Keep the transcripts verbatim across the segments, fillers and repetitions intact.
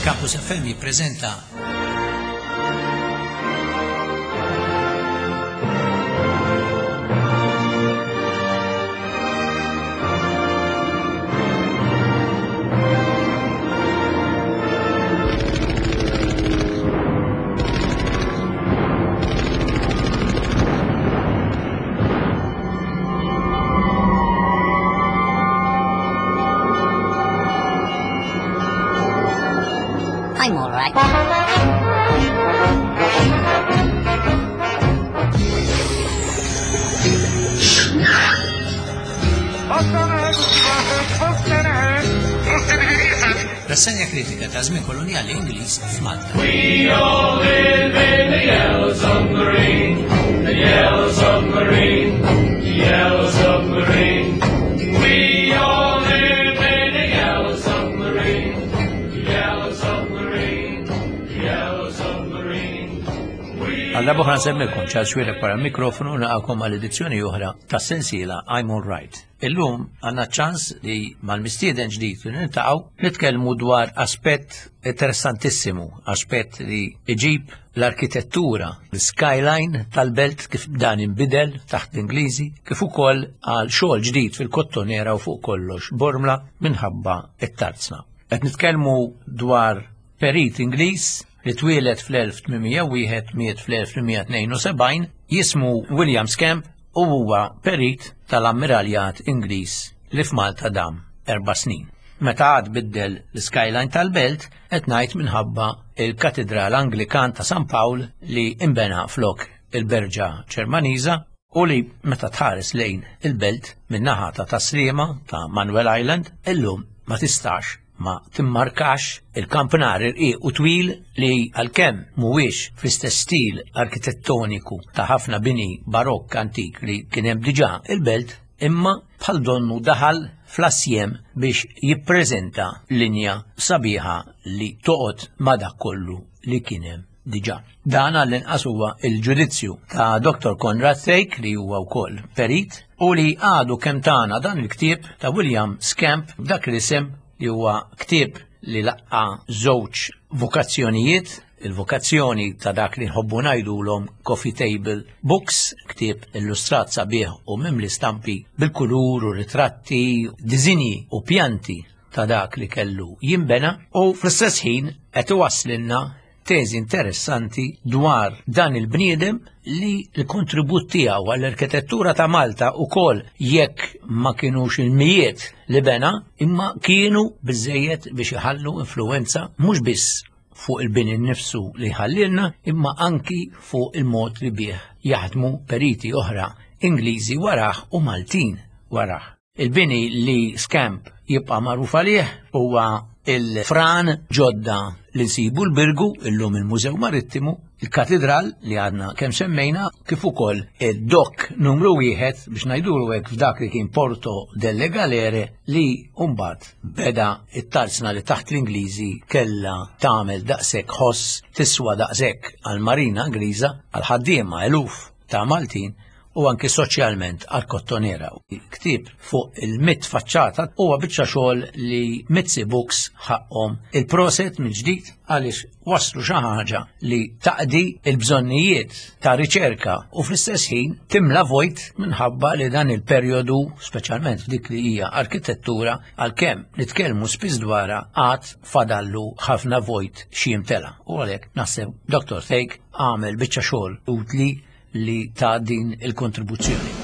Campus F M jippreżenta I'm all right. Rassegna kritika ta' żmien koloniali Ingliż f'Malta. We all live in the yellow submarine, the yellow submarine, the yellow submarine. We all live in the yellow submarine, the yellow submarine, the yellow submarine. We Għal darba oħra nsemmilkom Charles Xuereb wara l-mikrofonu naqakom għal edizzjoni oħra ta' sensiela I'm All Right. Illum għandna ċans li mal-mistieden ġdid li niltaqgħu nitkellmu dwar aspett interessantissimu, aspett li iġib l-arkitettura, l-skyline tal-belt kif dan inbidel taħt l-Ingliżi, kif ukoll għal xogħol ġdid fil-Kottonera u fuq kollox Bormla minħabba it-tarzna. Qed nitkellmu dwar perit Ingliż li twieled fl-elf tmien mija u wieħed miet fl-elf tmien mija tnejn u sebgħin, jismu William Scamp u huwa perit tal-Ammiraljat Ingliż li f'Malta dam erba' snin. Meta għad biddel l-skyline tal-belt, qed ngħid minħabba il-Katedral Anglikan ta' San Pawl li imbena flok il-Berġa Ġermaniża u li meta tħares lejn il-belt min-naħa ta' Tasliema ta' Manuel Island, illum ma tistax ma timmarkax il-kampnar irqiq u twil li għalkemm mhuwiex fl-istess stil arkitettoniku ta' ħafna bini barokk antik li kien hemm diġà il-belt, imma bħal donnu daħal fl-assjem biex jippreżenta linja sabiħa li toqgħod ma' dak kollu li kien hemm diġà. Dan għall-inqas huwa il-ġudizzju ta' Doktor Conrad Thake li huwa wkoll perit u li għadu kemm tana dan il-ktieb ta' William Scamp b'dak l-isem li huwa ktieb li laqqa żewġ vokazzjonijiet, il-vokazzjoni ta' dak li nħobbu ngħidulhom coffee table books, ktieb illustrat sabiħ u mimli stampi bil-kulur u ritratti, diżinji u pjanti ta' dak li kellu jinbena, u fl-istess ħin qed iwasslilna teżi interessanti dwar dan il-bniedem li l-kontribut tiegħu għall-arkitettura ta' Malta ukoll jekk ma kienux il-mijiet li bena, imma kienu biżejjed biex iħallu influenza mhux biss fuq il-bini nnifsu li ħallilna, imma anki fuq il-mod li bih jaħdmu periti oħra Ingliżi warah u Maltin warah. Il-bini li Scamp jibqa' magħruf għalih huwa il-fran ġodda li nsibu l-Birgu, illum il-Mużew Marittimu, il-Katedral li għadna kemm semmejna, kif ukoll id-dok numru wieħed biex ngħidulu hekk f'dak li kien Porto delle Galere li mbagħad beda it-tarzna li taħt l-Ingliżi kellha tagħmel daqshekk ħoss tiswa daqshekk għall-Marina Ingliża, għal ħaddiema eluf ta' Maltin u anki soċjalment għal Kottonera. Ktieb fuq il-mitt faċċata huwa biċċa xogħol li Mizzi Books ħaqhom il-proset mill-ġdid għaliex waslu xi ħaġa li taqdi l-bżonnijiet ta' riċerka u fl-istess ħin timla vojt minħabba li dan il-perjodu, speċjalment f'dik li hija arkitettura, għalkemm nitkellmu spiss dwarha għad fadallu ħafna vojt xi jimtela. U għalhekk naħseb Doktor Thake għamel biċċa xogħol utli li ta' din il-kontribuzzjoni.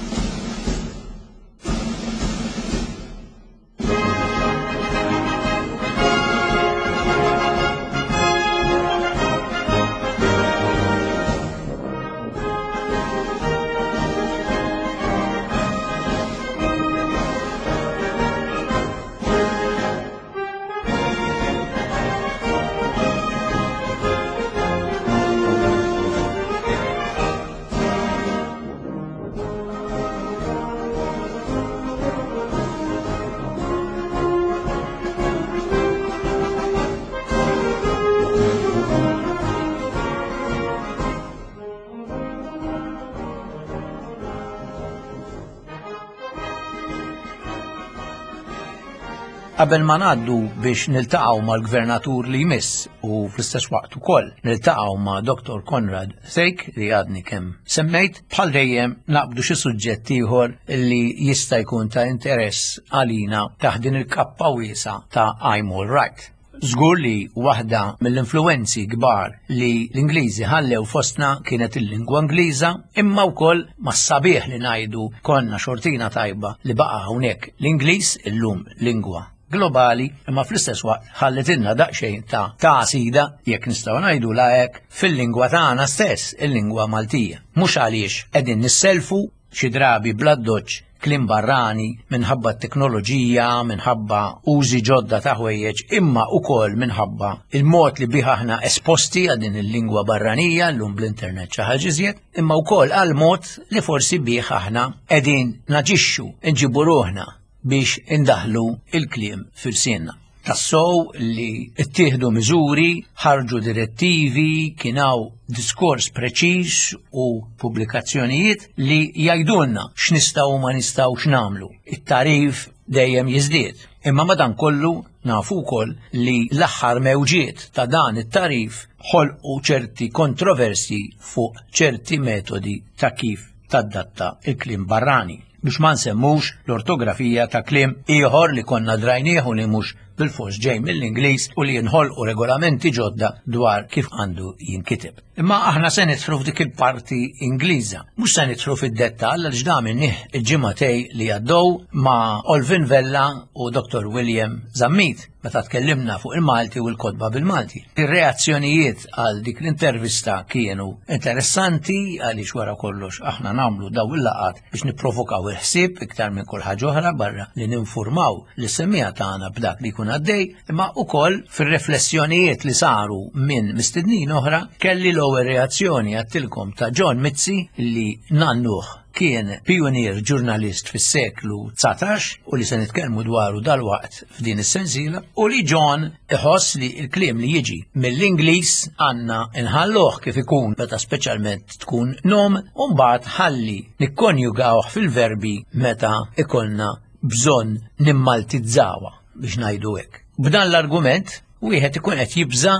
Qabel ma ngħaddu biex niltaqgħu mal-gvernatur li jmiss u fl-istess waqt ukoll niltaqgħu ma' Doktor Conrad Thake li għadni kemm semmejt, bħal dejjem naqbdu xi suġġett ieħor li jista' jkun ta' interess għalina taħt din il-kappa wiesgħa ta' I'm All Right. Żgur li waħda mill-influenzi kbar li l-Ingliżi ħallew fostna kienet il-lingwa Ingliża, imma wkoll mas-sabiħ li ngħidu konna xortina tajba li baqa' hawnhekk l-Ingliż illum lingwa globali, imma fl-istess waqt ħallitilna daqsxejn ta' tagħsida, jekk nistgħu ngħidu la hekk, fil-lingwa tagħna stess, il-lingwa Maltija. Mhux għaliex qegħdin nisselfu xi drabi bl-addoċċ kliem barrani minħabba t-teknoloġija, minħabba użi ġodda ta' ħwejjeġ, imma ukoll minħabba il-mod li bih aħna esposti għal din il-lingwa barranija llum bl-internet xi ħaġa iżjed, imma wkoll għal mod li forsi bih aħna qegħdin naġixxu, nġibu ruħna biex indaħlu il-kliem fil-sienna. Tassow li ttieħdu miżuri, ħarġu direttivi, kien hawn diskors preċiż u pubblikazzjonijiet li jgħidulna x'nistgħu u ma nistgħux nagħmlu. It-tarif dejjem jiżdied. Imma madankollu nafu wkoll li l-aħħar mewġiet ta' dan it-tarif ħolqu ċerti kontroversi fuq ċerti metodi ta' kif tadatta il-kliem barrani. Biex ma nsemmux l-ortografija ta' kliem ieħor li konna drajnieh u li mhux bil-fors ġej mill-Ingliż u li jinħolqu regolamenti ġodda dwar kif għandu jinkiteb. Imma aħna se nidħlu f'dik il-parti Ingliża. Mhux se nidħlu fid-dettall għaliex dan minnih il-ġimgħatej li għaddew ma' Olvin Vella u Doktor William Zammit meta tkellimna fuq il-Malti u l-kotba bil-Malti. Ir-reazzjonijiet għal dik l-intervista kienu interessanti għaliex wara kollox aħna nagħmlu daw il-laqat biex nipprovokaw il-ħsieb iktar minn kull ħaġa oħra barra li ninfurmaw lis-semmiegħa tagħna b'dak li jkun għaddej, imma ukoll fir-riflessjonijiet li saru minn mistednin oħra kelli l-ewwel reazzjoni għattilkom ta' John Mizzi li nannuh kien pionier ġurnalist fis-seklu dsatax u li se nitkellmu dwaru dalwaqt f'din is-sensiela, u li John iħoss li l-kliem li jiġi mill-Ingliż għandna nħalluh kif ikun meta speċjalment tkun nom u mbagħad ħalli nikkonjugawh fil-verbi meta ikollna bżonn nimmaltizzawha biex ngħidu hekk. B'dan l-argument wieħed ikun qed jibża'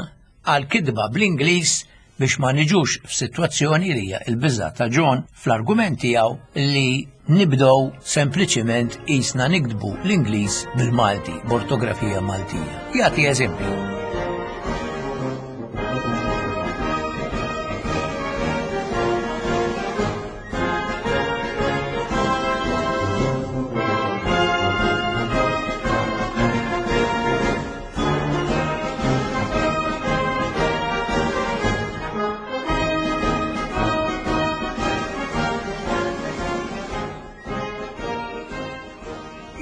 għal kitba bl-Ingliż biex ma niġux f'sitwazzjoni li hija l-biża' ta' John fl-argument tiegħu li nibdew sempliċiment qisna niktbu l-Ingliż bil-Malti, b'ortografija Maltija. Jagħti eżempju.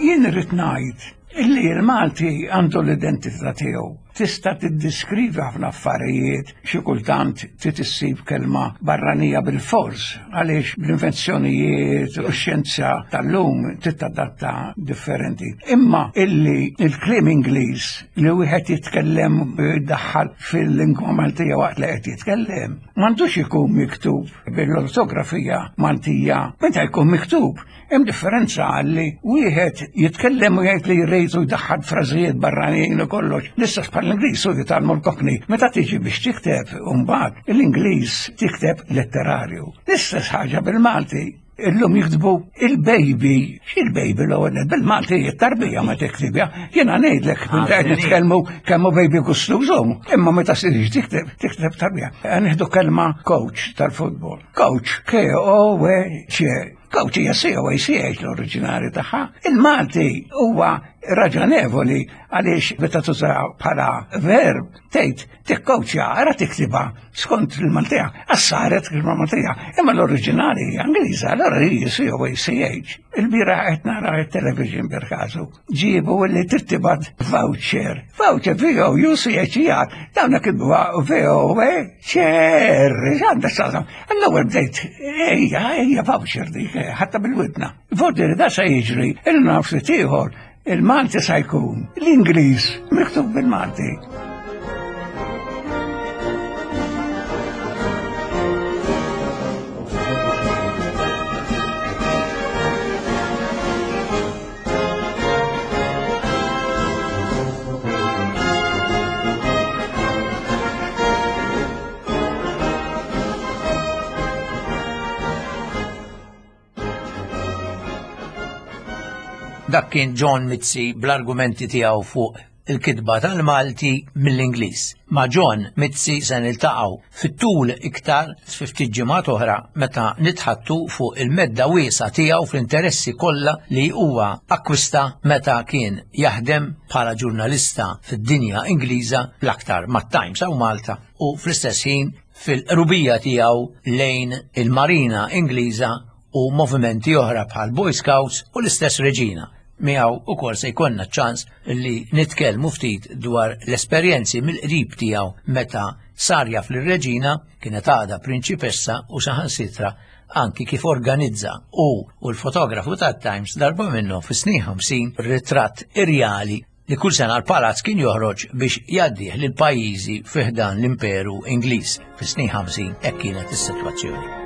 Jien irrid ngħid illi l-Malti għandu l-identità tiegħu. Tista' tiddiskrivi ħafna affarijiet, xi kultant trid issib kelma barranija bil-fors għaliex l-invenzjonijiet u x-xjenza tal-lum titadatta differenti. Imma illi il-kliem Ingliż li wieħed jitkellem jiddaħħal fil-lingwa Maltija waqt li qed jitkellem, m'għandux ikun miktub bil-ortografija Maltija. Meta jkun miktub, hemm differenza għalli wieħed jitkellem u jgħid li jrid u jdaħħal frażijiet barranin u kollox. L-istess bħall-Ingliż u jitgħallmu l-Cockney. Meta tiġi biex tikteb mbagħad l-Ingliż tikteb letterarju. L-istess ħaġa bil-Malti. Illum jiktbu il-baby. X'il-baby l-ewwel nett? Bil-Malti it-tarbija ma tiktibha. Jiena ngħidlek qed nitkellmu kemm hu baby gustużhom. Imma meta sirix tikteb, tikteb tarbija. Nieħdu kelma coach tal-futbol. Coach, K O C. Coach hija C O A C H l-oriġinali tagħha. Il-Malti huwa raġonevoli għaliex meta tuża bħala verb tgħid tikkoċja, ara tiktibha skont il-Maltija, għas-saret kelma Maltija, imma l-oriġinali hija Ingliża, allura hi C O A C H. Il-bieraħ qed nara t-television per każu, ġiebu li tittibat voucher, voucher V O U C H E R, dawna kitbuha V O A C R, x'għandha x'taqsam. L-ewwel bdejt, ejja, ejja voucher dik, ħatta bil-widna. Vordi li da se jiġri, il-naf ftit ieħor, il-Malti sa jkun, l-Ingliż miktub bil-Malti. Dak kien John Mizzi bl-argumenti tiegħu fuq il-kitba tal-Malti mill-Ingliż. Ma' John Mizzi se niltaqgħu fit-tul iktar fi ftit ġimgħat oħra meta nitħattu fuq il-medda wiesgħa tiegħu fl-interessi kollha li huwa akkwista meta kien jaħdem bħala ġurnalista fid-dinja Ingliża l-aktar mat-Times hawn Malta u fl-istess ħin fil-qrubija tiegħu lejn il-Marina Ingliża u movimenti oħra bħal Boy Scouts u l-istess Reġina. Miegħu ukoll se jkollna ċans li nitkellmu ftit dwar l-esperjenzi mill-qrib tiegħu meta sar jaf lir-Reġina kienet għadha prinċipessa u saħansitra anki kif organizza u u l-fotografu tat-Times darba minnhom fis-snin ħamsin ritratt irjali li kull sena l-palazz kien joħroġ biex jgħaddih lil pajjiżi fi ħdan l-Imperu Ingliż. Fis-snin ħamsin hekk kienet is-sitwazzjoni.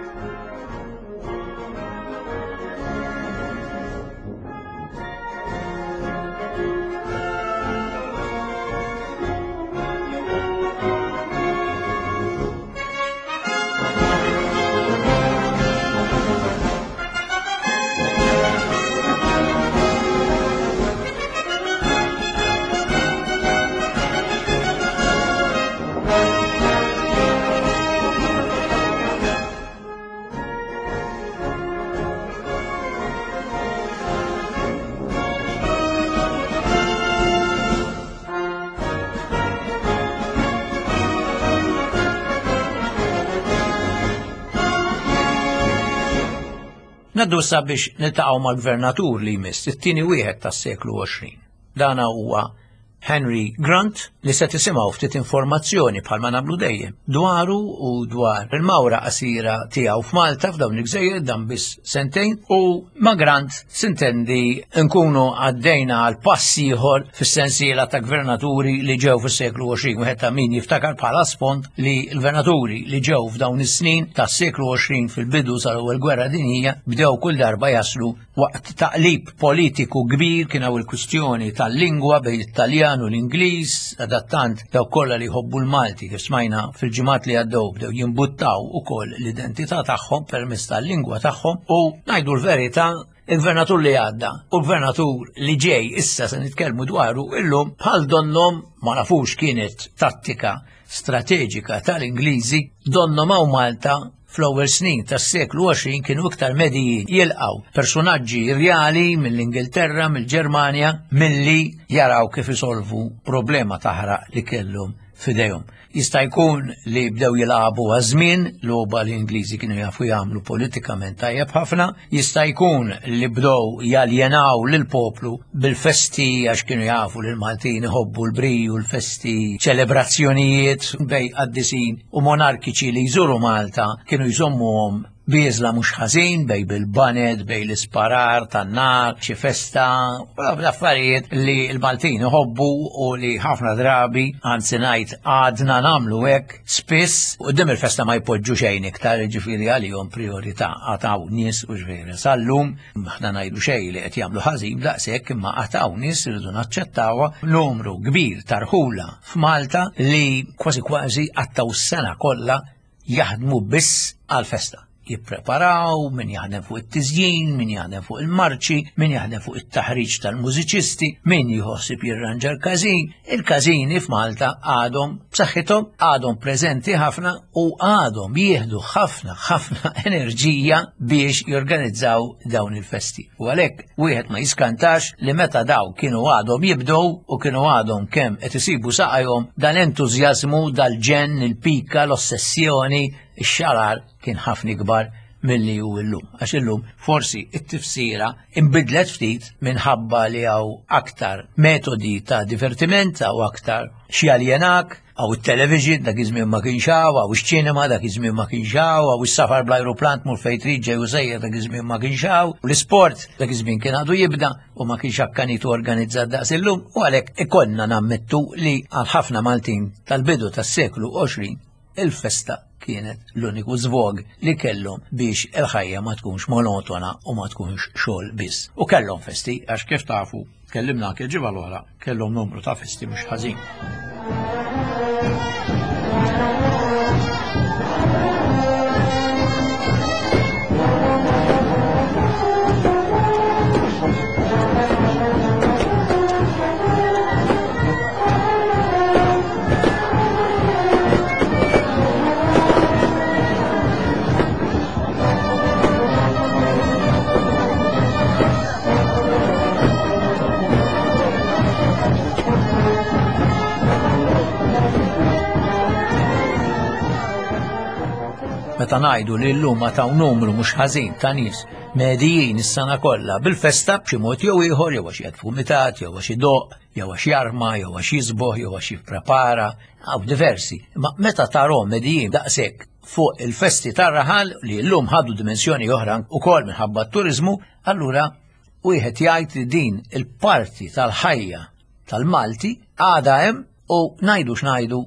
Naddu issa biex niltaqgħu mal-gvernatur li jmiss, it-tieni wieħed tas-seklu għoxrin. Dana huwa Henry Grant li se tisimgħu ftit informazzjoni bħalma nagħmlu dejjem dwaru u dwar il-mawra qasira tiegħu f'Malta f'dawn il-gżejjer dan biss sentejn u ma' Grant sintendi nkunu għaddejna għal pass ieħor fis-sensiela ta' gvernaturi li ġew fis-seklu għoxrin. Wieħed ta' min jiftakar bħala sfond li l-gvernaturi li ġew f'dawn is-snin tas-seklu għoxrin fil-bidu sal-ewwel gwerra dinjija bdew kull darba jaslu waqt taqlib politiku kbir. Kien hawn il-kwistjoni tal-lingwa bejn it-Taljan u l-Ingliż, adattant dawk kollha li jħobbu l-Malti kif smajna fil-ġimgħat li għaddew bdew jimbuttaw ukoll l-identità tagħhom permezz tal-lingwa tagħhom u ngħidu l-verità il-gvernatur li għadda u l-gvernatur li ġej issa se nitkellmu dwaru illum bħal donnom ma nafux kienet tattika strateġika tal-Ingliżi donnom hawn Malta fl-ewwel snin tas-seklu għoxrin kienu iktar medijin jilqgħu personaġġi rjali mill-Ingilterra, mill-Ġermanja, milli jaraw kif isolvu problema taħraq li kellhom f'idejhom. Jista' jkun li bdew jilagħbu għaż-żmien, logħba li l-Ingliżi kienu jafu jagħmlu politikament tajjeb ħafna, jista' jkun li bdew jaljenaw lill-poplu bil-festi għax kienu jafu li l-Maltin iħobbu l-briju, l-festi, ċelebrazzjonijiet bej qaddisin u monarkiċi li jżuru Malta kienu jżommuhom bieżla mhux ħażin bej bil-baned, bej l-isparar tan-nar, xi festa, l-affarijiet li l-Maltin iħobbu u li ħafna drabi, anzi ngħid għadna nagħmlu hekk spiss, quddiem il-festa ma jpoġġu xejn iktar, jiġifieri għalihom priorità għataw nies u ġifieri sal-lum aħna ngħidu xejn li qed jagħmlu ħażin daqshekk imma għataw nies irridu naċċettawha numru kbir ta' rħula f'Malta li kważi kważi għattaw s-sena kollha jaħdmu biss għall-festa. Jippreparaw, min jaħdem fuq it-tiżjin, min jaħdem fuq il-marċi, min jaħdem fuq it-taħriġ tal-mużiċisti, min jħossib jirranġa l-każin. Il-każini f'Malta għadhom b'saħħithom, għadhom preżenti ħafna u għadhom jieħdu ħafna ħafna enerġija biex jorganizzaw dawn il-festi. U għalhekk wieħed ma jiskantax li meta daw kienu għadhom jibdew u kienu għadhom kemm qed isibu saqajhom dal-entużjażmu, dal-ġenn, il-pika, l-ossessjoni, ix-xarar kien ħafna ikbar milli hu llum. Għax illum forsi it-tifsira inbidlet ftit minħabba li hawn aktar metodi ta' divertiment, hawn aktar xi aljenak, hawn it-television dak iż-żmien ma kienx hawn, hawn iċ-ċinema dak iż-żmien ma kienx hawn, hawn is-safar bl-ajruplan tmur fejn trid ġej u sejjer dak iż-żmien ma kienx hawn, u l-isport dak iż-żmien kien għadu jibda u ma kienx akkanit u organizzat daqs illum, u għalhekk ikollna nammettu li għal ħafna Maltin tal-bidu tas-seklu għoxrin il-festa kienet l-uniku żvog li kellhom biex il-ħajja ma tkunx monotona u ma tkunx xogħol biss. U kellhom festi, għax kif tafu, tkellimna anke l-ġimgħa l-oħra, kellhom numru ta' festi mhux ħażin. Meta ngħidu li llum ma taw numru mhux ħażin ta' nies medijin is-sena kollha bil-festa b'xi mod jew ieħor jew għax jgħid fumitat, jew għax idoqq, jew għax jarma, jew għax jisboħ, jew għax jipprepara, hawn diversi. Ma meta tarhom medijin daqshekk fuq il-festi tar-raħal li llum ħadu dimensjoni oħra ukoll minħabba t-turiżmu, allura wieħed jgħid li din il-parti tal-ħajja tal-Malti għadha hemm u ngħidu x'ngħidu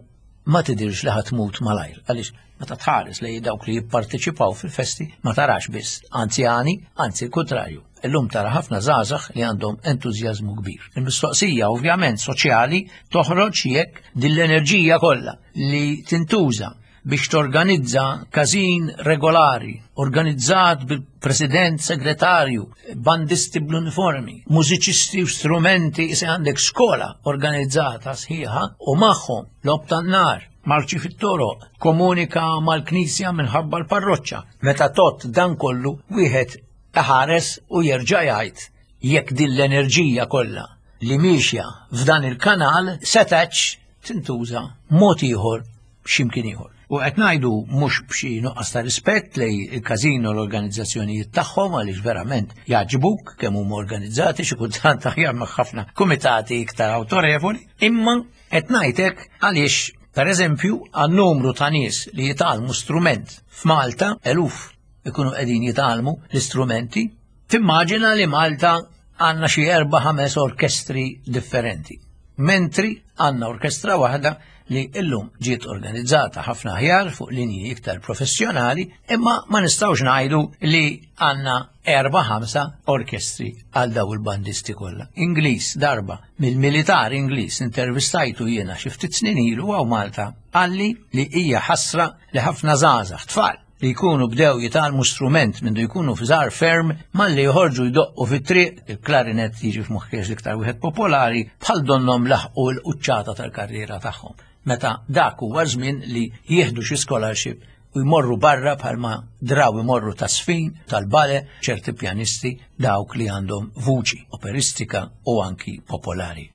ma tidirx li ħatmut malajr. Għaliex meta tħares li dawk li jipparteċipaw fil-festi ma tarax biss anzjani, anzi l-kontrarju. Illum tara ħafna żgħażagħ li għandhom entużjażmu kbir. Il-mistoqsija ovvjament soċjali toħroġ jekk din l-enerġija kollha li tintuża biex torganizza każin regolari, organizzat bil-president segretarju, bandisti bl-uniformi, mużiċisti u strumenti, se għandek skola organizzata sħiħa u magħhom logħob tan-nar, marċi fit-toroq, komunika mal-knisja minħabba l-parroċċa. Meta tot dan kollu wieħed iħares u jerġa' jgħid jekk din l-enerġija kollha li miexja f'dan il-kanal setax tintuża mod ieħor x'imkien ieħor. U qed ngħidu mhux b'xi nuqqas ta' rispett lej il-każin u l-organizzazzjonijiet tagħhom għaliex verament jagħġbuk kemm huma organizzati xi kultant aħjar ma' ħafna kumitati iktar awtorevoli, imma qed ngħidlek għaliex pereżempju għan-numru ta' nies li jitgħallmu strument f'Malta, eluf ikunu qegħdin jitgħallmu l-istrumenti, timmaġina li Malta għandna xi erba' ħames orkestri differenti. Mentri għandna orkestra waħda li illum ġiet organizzata ħafna aħjar fuq linji iktar professjonali, imma ma nistgħux ngħidu li għandna erba' ħamsa orkestri għal daw il-bandisti kollha. Ingliż darba mill-militar Ingliż intervistajtu jiena xi ftit snin ilu hawn Malta, qalli li hija ħasra li ħafna żgħażagħ tfal li jkunu bdew jitgħallmu strument mindu jkunu f'żgħar ferm malli joħorġu jdoqqu fit-triq, il-klarinet jiġi f'moħħiex l-iktar wieħed popolari, bħal donnhom laħqu l-quċċata tal-karriera tagħhom. Meta dak huwa żmien li jieħdu xi scholarship u jmorru barra bħalma draw imorru tas-sfin, tal-bale, ċerti pjanisti dawk li għandhom vuċi operistika u anki popolari.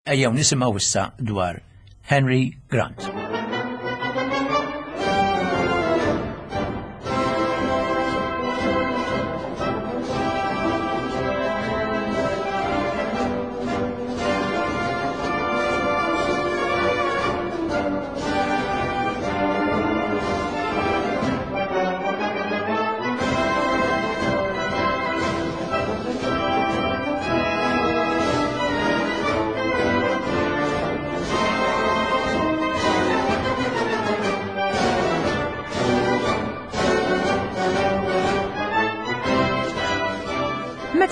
Ejjew nisimgħu issa dwar Henry Grant.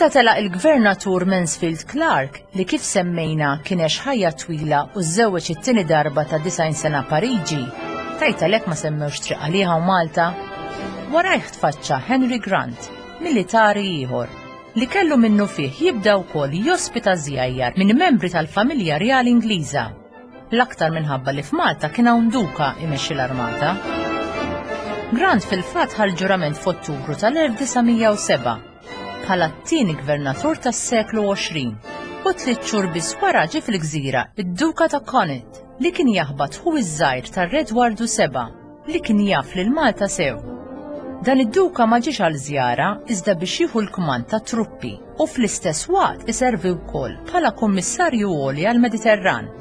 Meta telaq il-gvernatur Mansfield Clark, li kif semmejna kien għex ħajja twila u żżewweġ it-tieni darba ta' disgħin sena Pariġi, tajt għalhekk ma semmewx triq għaliha u Malta, warajh tfaċċa Henry Grant, militari ieħor, li kellu minnu fih jibda wkoll jospita żjajjar minn membri tal-familja Rjali Ingliża, l-aktar minħabba li f'Malta kien hawn duka imexxi l-armata. Grant fil-fatt ħa l-ġurament f'Ottubru tal-elf disa' mija u seba' bħala t-tieni gvernatur tas-seklu għoxrin u tliet xhur biss wara ġie fil-gżira id-Duka ta' Connaught li kien jaħbat ħu iż-żgħir tar-Re Edwardu seba' li kien jaf lil Malta sew. Dan id-duka ma ġiex għal żjara iżda biex jieħu l-kmand ta' truppi u fl-istess waqt iservi wkoll bħala kummissarju għoli għall-Mediterran.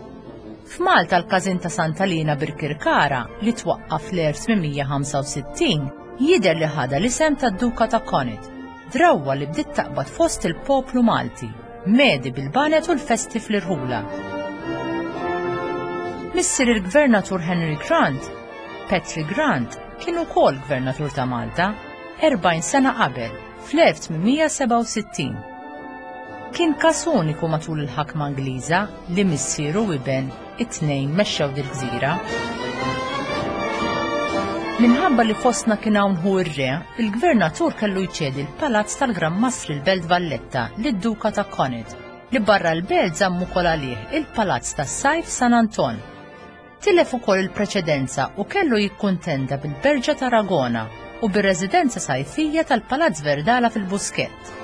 F'Malta l-każin ta' Santa Lina Birkirkara li twaqqaf fl-elf tmien mija ħamsa u sittin jidher li ħada l-isem tad-Duka ta' Connaught, drawwa li bdiet taqbad fost il-poplu Malti, medi bil-banet u l-festi fl-irħula. Missier il-gvernatur Henry Grant, Petrie Grant, kien ukoll gvernatur ta' Malta erbgħin sena qabel, fl-elf tmien mija sebgħa u sittin. Kien każ uniku matul il-ħakma Ingliża li missieru u iben it-tnejn mexxew dil-gżira. Minħabba li fostna kien hawn hu r-re, il-gvernatur kellu jċedi l-palazz tal-Gran Mastri l-Belt Valletta lid-Duka ta' Connaught, li barra l-belt żammu wkoll għalih il-palazz tas-sajf San Anton. Tilef ukoll il-preċedenza u kellu jikkuntenta bil-Berġa ta' Aragona u bir-residenza sajfija tal-Palazz Verdala fil-Buskett.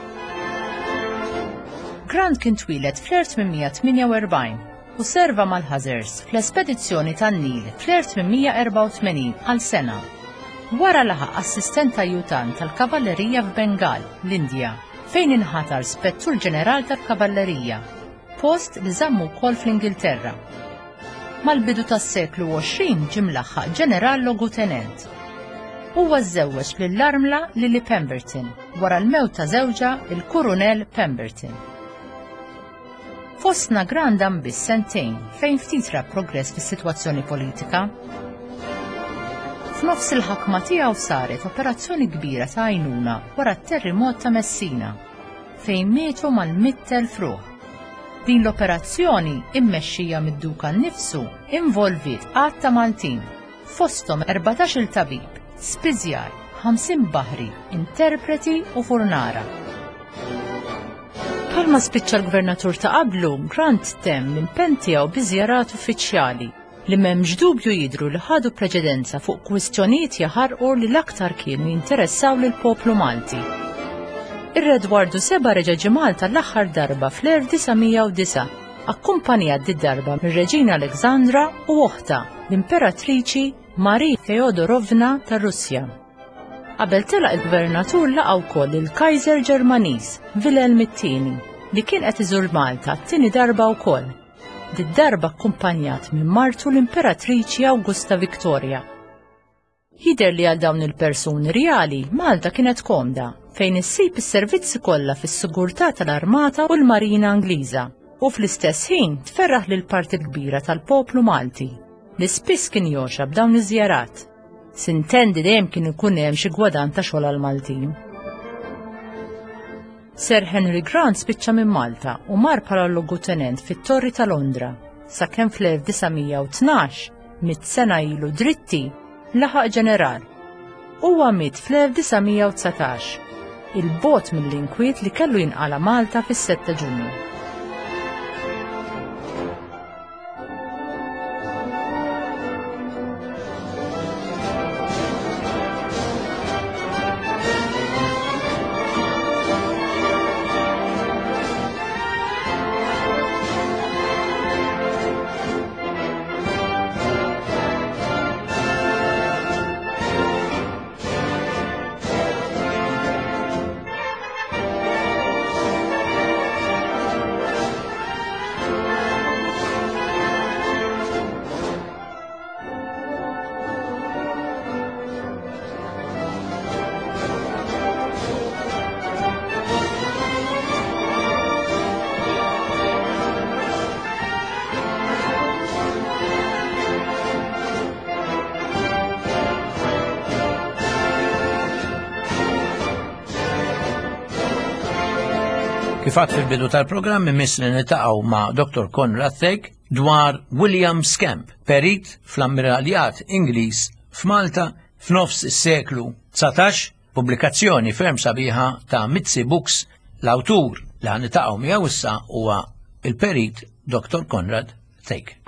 Grant kien twieled fl-elf tmien mija tmienja u erbgħin u serva mal-Hussars fl-espedizzjoni tan-Nil fl-elf tmien mija erbgħa u tmenin għal sena. Wara laħaq assistent ajjutant tal-Kavallerija f'Bengal, l-Indja, fejn inħatar spettur ġeneral tal-Kavallerija, post li żammu wkoll fl-Ingilterra. Mal-bidu tas-seklu għoxrin ġie mlaħħaq ġeneral logutenent. Huwa żżewweġ lill-armla Lily Pemberton wara l-mewt ta' żewġha il-Kurunell Pemberton. Fostna Grant dam biss sentejn fejn ftit ra progress fis-sitwazzjoni politika. F'nofs il-ħakma tiegħu saret operazzjoni kbira ta' għajnuna wara t-terremot ta' Messina, fejn mietu mal-mitt elf ruħ. Din l-operazzjoni, immexxija mid-duka nnifsu, involviet għadd ta' Maltin, fosthom erbatax-il tabib, spiżjar, ħamsin baħri, interpreti u furnara. Bħalma spiċċa l-gvernatur ta' qablu, Grant temm l-impenn tiegħu bi żjarat uffiċjali li m'hemmx dubju jidhru li ħadu preċedenza fuq kwistjonijiet jaħarqu li l-aktar kienu jinteressaw lill-poplu Malti. Ir-Re Edwardu seba' reġa' ġie Malta l-aħħar darba fl-elf disa' mija u disgħa, akkumpanjat did-darba mir-Reġina Alexandra u oħtha, l-Imperatriċi Marie Feodorovna tar-Russja. Qabel telaq il-gvernatur laqa' wkoll il-Kaiser Ġermaniż Wilhelm it-tieni, li kien qed iżur Malta t-tieni darba wkoll. Did-darba akkumpanjat minn martu l-Imperatriċi Augusta Victoria. Jidher li għal dawn il-persuni reali Malta kienet komda, fejn issib is-servizzi kollha fis-sigurtà tal-Armata u l-Marina Ingliża, u fl-istess ħin tferraħ lil parti kbira tal-poplu Malti, li spiss kien joxa b'dawn iż-żjarat. Sintendi dejjem kien ikun hemm xi gwadan ta' xogħol għall-Maltin. Sir Henry Grant spiċċa minn Malta u mar bħala logutenent fit-Torri ta' Londra, sakemm fl-elf disa' mija u tnax, mitt sena ilu dritti, laħaq ġeneral. Huwa miet fl-elf disa' mija u dsatax, il-bot mill-inkwiet li kellu jinqala Malta fis-sette ta' Ġunju. Kif għadt fil-bidu tal-programm imiss li niltaqgħu ma' Doktor Conrad Thake dwar William Scamp, perit fl-Ammiraljat Ingliż f'Malta f'nofs is-seklu dsatax, pubblikazzjoni ferm sabiħa ta' Mizzi Books. L-awtur li ħaniltaqgħu miegħu issa huwa il-perit Doktor Conrad Thake.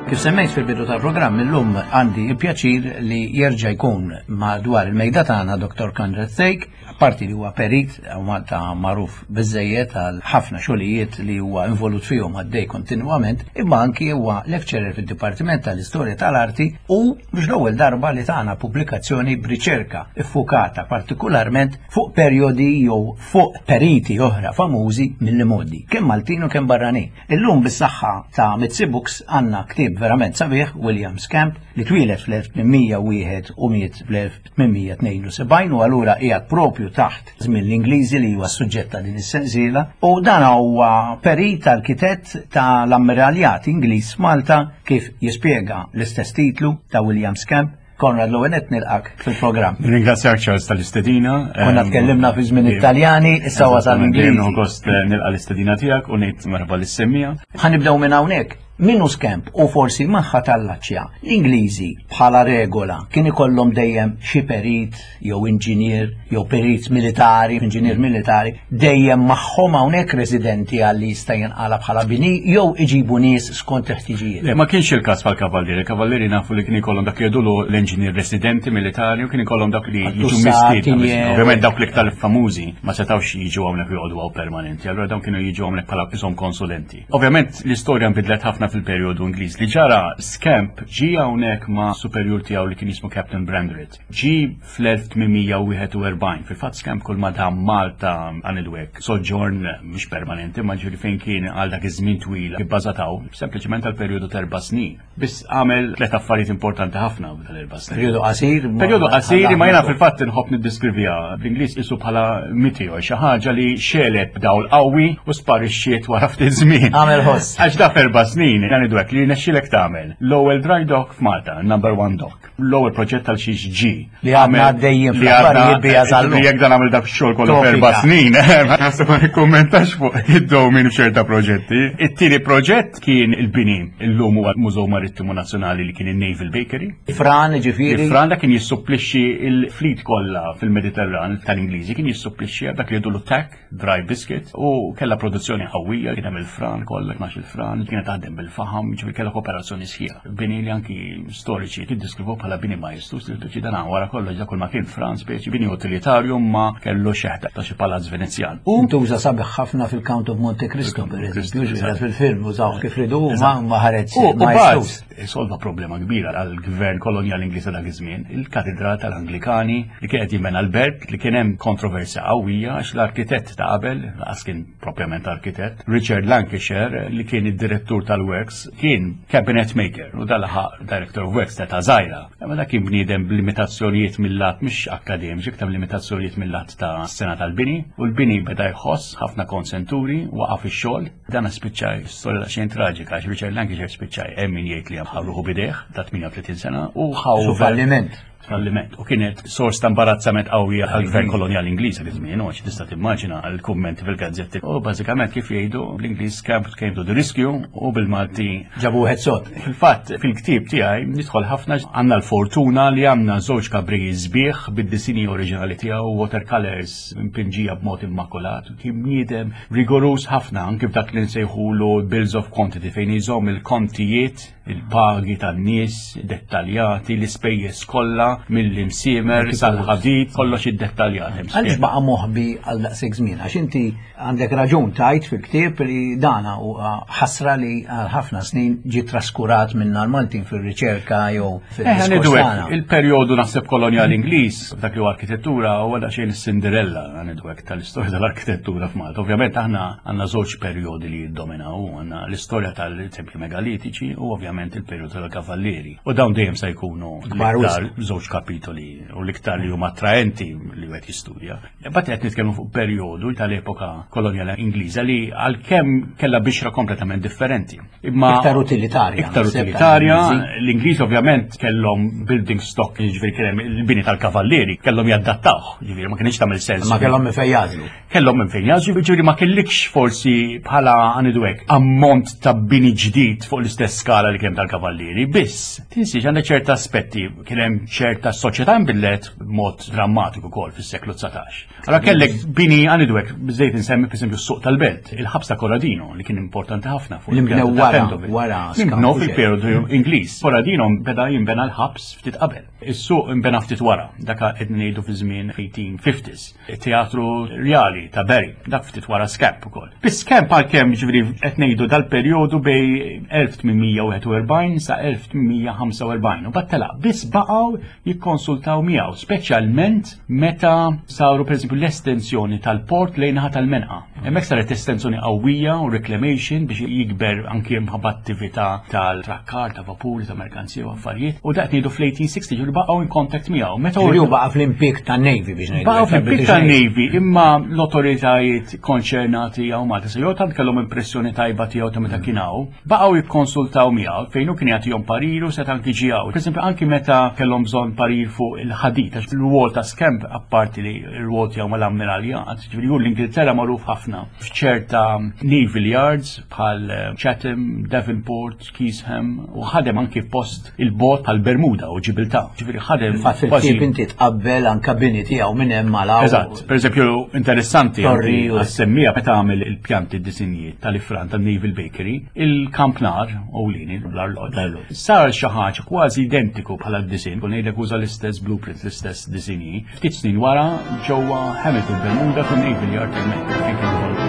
Kif semmejt fil-bidu tal-programm, illum għandi il-pjaċir li jerġa' jkun madwar il-mejda tagħna Doktor Conrad Thake, apparti li huwa perit u Malta magħruf biżejjed għal ħafna xogħlijiet li huwa involut fihom għaddej kontinwament, imma anki huwa lecturer fid-Dipartiment tal-Istorja tal-Arti u biex l-ewwel darba li tagħna pubblikazzjoni b'riċerka iffukata partikolarment fuq perjodi jew fuq periti oħra famużi mill-modi, kemm Maltin u kemm barranin. Illum bis-saħħa ta' Mizzi Books għandna ktieb verament sabiħ, William Scamp, li twieled fl-elf tmien mija u wieħed u miet fl-elf tmien mija tnejn u sebgħin u allura qiegħed propju taħt żmien l-Ingliżi li huwa s-suġġett ta' din is-sensiela, u dan huwa perit arkitett tal-Ammiraljat Ingliż Malta kif jispjega l-istess titlu ta' William Scamp. Konrad, l-ewwel nett nilqak fil-programm. Ringrazzjak Charles tal-istedina. Konna tkellimna fi żmien Italjani, issa wasal Eżattament, Ingliżi. Dejjem gost nilqa l-istedina tiegħek u ngħid merħba lis-semmija. Ħanibdew minn hawnhekk. Minnu Skemp u forsi magħha tal-laċċja, l-Ingliżi bħala regola kien ikollhom dejjem xi perit jew inġinier jew perit militari, inġinier militari, dejjem magħhom hawnhekk residenti għal li jista' jinqala bħala bini jew iġibu nies skont il-ħtiġijiet. Le, ma kienx il-każ bħal-kavallieri. Il-kavallieri nafu li kien ikollhom dak jgħidulu l-engineer residenti militari u kien ikollhom dak li jiġu mistiedna. Ovvjament dawk l-iktar famużi ma setgħux jiġu hawnhekk joqogħdu hawn permanenti, allura dawn kienu jiġu hawnhekk bħala qishom konsulenti. Ovvjament l-istorja nbidlet ħafna fil-perjodu Ingliż. Li ġara, Skemp ġi hawnhekk ma' superjur tiegħu li kien jismu Captain Brandreth. Ġi fl-elf tmien mija u wieħed u erbgħin. Fil-fatt Skemp kull ma dam Malta, għanidwek, soġġorn mhux permanenti, ma ġifieri fejn kien għal dak iż-żmien twil ibbażataw sempliċement għal perjodu ta' erba' snin. Biss għamel tliet affarijiet importanti ħafna f'dal erba' snin. Perjodu qasir. Perjodu qasir, ma jiena fil-fatt inħobb niddeskriviha bl-Ingliż isu bħala meteor, xi ħaġa li xegħlet b'dawl qawwi u sparixxiet wara ftit żmien. Għamel ħoss. Għax da f'erba' snin, ngħidu hekk, li nexxilek tagħmel l-ewwel dry dock f'Malta, number one dock. L-ewwel proġett tal xiex ġi. Li għadna għaddejjin fl-affarijiet bija sal-lum. Li jekk dan għamel dak xogħol kollu f'erba' snin, naħseb ma nikkummentax fuq id-dewmien f'ċerta proġetti. It-tieni proġett kien il-bini illum huwa Mużew Marittimu Nazzjonali, li kien il-Naval Bakery. Fran, ġifieri. Il-Fran da kien jissupplixxi il-fleet kollha fil-Mediterran tal-Ingliżi, kien jissupplixxi dak li jgħidulu tack, dry biscuit, u kellha produzzjoni qawwija, kien hemm il-fran kollha, tnax il-fran, kienet taħdem bil-faħam, ġifieri kellha kooperazzjoni sħiħa. Bini li anki storiċi tiddiskrivu bħala bini majestuż li dan wara kollox dak kull ma kien fran, speċi bini utilitarju ma kellu xeħta ta' xi palazz Venezjan. U ntuża sabiħ ħafna fil-Count of Monte Cristo, per eżempju, ġifieri fil-film użaw kif ridu ma ma ħareġ U majestuż. Solva problema kbira għall-gvern kolonjali Ingliż dak iż-żmien, il-katedral tal-Anglikani li kienet jinbena l-Belt, li kien hemm kontroversja qawwija għax l-arkitett ta' qabel, lanqas kien propjament arkitett, Richard Lancashire, li kien id-direttur tal-works, kien cabinet maker u dal-ħaq director of works ta' żgħira. Ma dak kien bniedem b'limitazzjonijiet mill-lat mhux akademiċi, iktar limitazzjonijiet mill-lat ta' sena tal-bini, u l-bini beda jħoss ħafna konsenturi, waqaf ix-xogħol. Dan spiċċa storja ta' xejn traġika għax Richard Lancashire spiċċa, hemm min jgħid li ħa ruħu b'idejh ta' tmienja u tletin sena u ħaw falliment. Falliment. U kienet sors ta' imbarazzament qawwija għall-gvern kolonjali Ingliż dak iż-żmien, u għax tista' timmaġina l-kummenti fil-gazzetti. U bażikament, kif jgħidu bl-Ingliż, Skemp came to the rescue, u bil-Malti ġabu wieħed sod. Fil-fatt, fil-ktieb tiegħi nidħol ħafna, għandna l-fortuna li għandna żewġ kabrijiet sbieħ bid-disini oriġinali tiegħu, watercolors impinġija b'mod immakulat. Kien bniedem rigorus ħafna anke f'dak li nsejħulu bills of quantity, fejn jżomm il-kontijiet, il-pagi tan-nies dettaljati, l-ispejjeż kollha mill-imsiemer sal-ħadid, kollox iddettaljat. Għaliex baqa' moħbi għal daqshekk żmien? Għax inti għandek raġun tajt fil-ktieb li dana u ħasra li għal ħafna snin ġi traskurat minna l-Maltin fil-riċerka jew fil-diskors tagħna. Il-perjodu naħseb kolonjali Ingliż dak li huwa arkitettura huwa daqsxejn is-Cinderella, ngħidu hekk, tal-istorja tal-arkitettura f'Malta. Ovvjament aħna għandna żewġ perjodi li jiddominaw, għandna l-istorja tal-tempji megalitiċi u ovvjament il-perjodu tal-kavallieri. U dawn dejjem se jkunu l-iktar żewġ kapitoli u l-iktar li huma attraenti li wieħed jistudja. Imbagħad qed nitkellmu fuq perjodu tal-epoka kolonjali Ingliża li għalkemm kellha bixra kompletament differenti. Imma iktar utilitarja. Iktar utilitarja, l-Ingliż ovvjament kellhom building stock, jiġifieri kien hemm il-bini tal-kavallieri, kellhom jaddattawh, jiġifieri ma kienx tagħmel sens. Ma kellhom minn fejn jagħżlu. Kellhom minn fejn jagħżlu, jiġifieri ma kellikx forsi bħala, ngħidu hekk, ammont ta' bini ġdid fuq l-istess skala li kien tal-kavallieri, biss tinsiex għandek ċerta aspetti, kien hemm ċerta soċjetà nbidlet b'mod drammatiku wkoll fis-seklu dsatax. Allora kellek bini, ngħidu hekk, biżejt insemmi pereżempju s-suq tal-Belt, il-ħabs ta' Corradino li kien importanti ħafna fuq. Li nbnew wara wara. Nbnew fil-periodu Ingliż. Corradino beda jinbena l-ħabs ftit qabel. Is-suq inbena ftit wara, dak qed ngħidu fi żmien eighteen fifties. Il-Teatru Rjali ta' Barry, dak ftit wara Skemp ukoll. Biss Skemp, għalkemm ġifieri qed ngħidu dal-perjodu bej elf tmien mija u wieħed u erbgħin sa elf tmien mija u ħamsa u erbgħin u battela, biss baqgħu jikkonsultaw miegħu, speċjalment meta saru pereżempju l-estensjoni tal-port lejn naħa tal-Menqa. Hemmhekk saret estensjoni qawwija u reclamation biex jikber anki mħabba attività tal-trakkar, ta' vapuri, ta' merkanzija u affarijiet. U dak ngħidu fl-eighteen sixty, ġifieri baqgħu in contact miegħu. Meta hu baqa' fl-impjieg tan-Navy biex ngħidu. Baqgħu fl-impjieg tan-Navy, imma l-autoritajiet konċernati hawn Malta se tant kellhom impressjoni tajba tiegħu ta' meta kien hawn, baqgħu jikkonsultaw miegħu fejn hu kien jagħtihom parir u set anki ġie hawn. Per anki meta kellhom bżonn parir fuq il-ħadid, għax il-rwol ta' Skemp, apparti li r-rwol tiegħu mal-ammiraljat, ġifieri hu l-Ingilterra magħruf ħafna. ħafna f'ċerta naval yards bħal eh, Chatham, Devonport, Keysham u ħadem anki post il-bot bħal Bermuda u Ġibiltà. Ġifieri ħadem Fatt fil-ktieb inti tqabbel anka bini tiegħu minn hemm malaw. Eżatt, per eżempju, interessanti Torri u- għas-semmija meta għamel il-pjanti disinji tal-ifran tal-Naval Bakery, il-kampnar, ewlieni, l-arloġġ, sar xi ħaġa kważi identiku bħala d-disin, kun ngħidlek uża l-istess blueprint, l-istess disinji. Ftit snin wara ġewwa Hamilton Bermuda fin-Naval Yard hemmhekk fejn kien involut.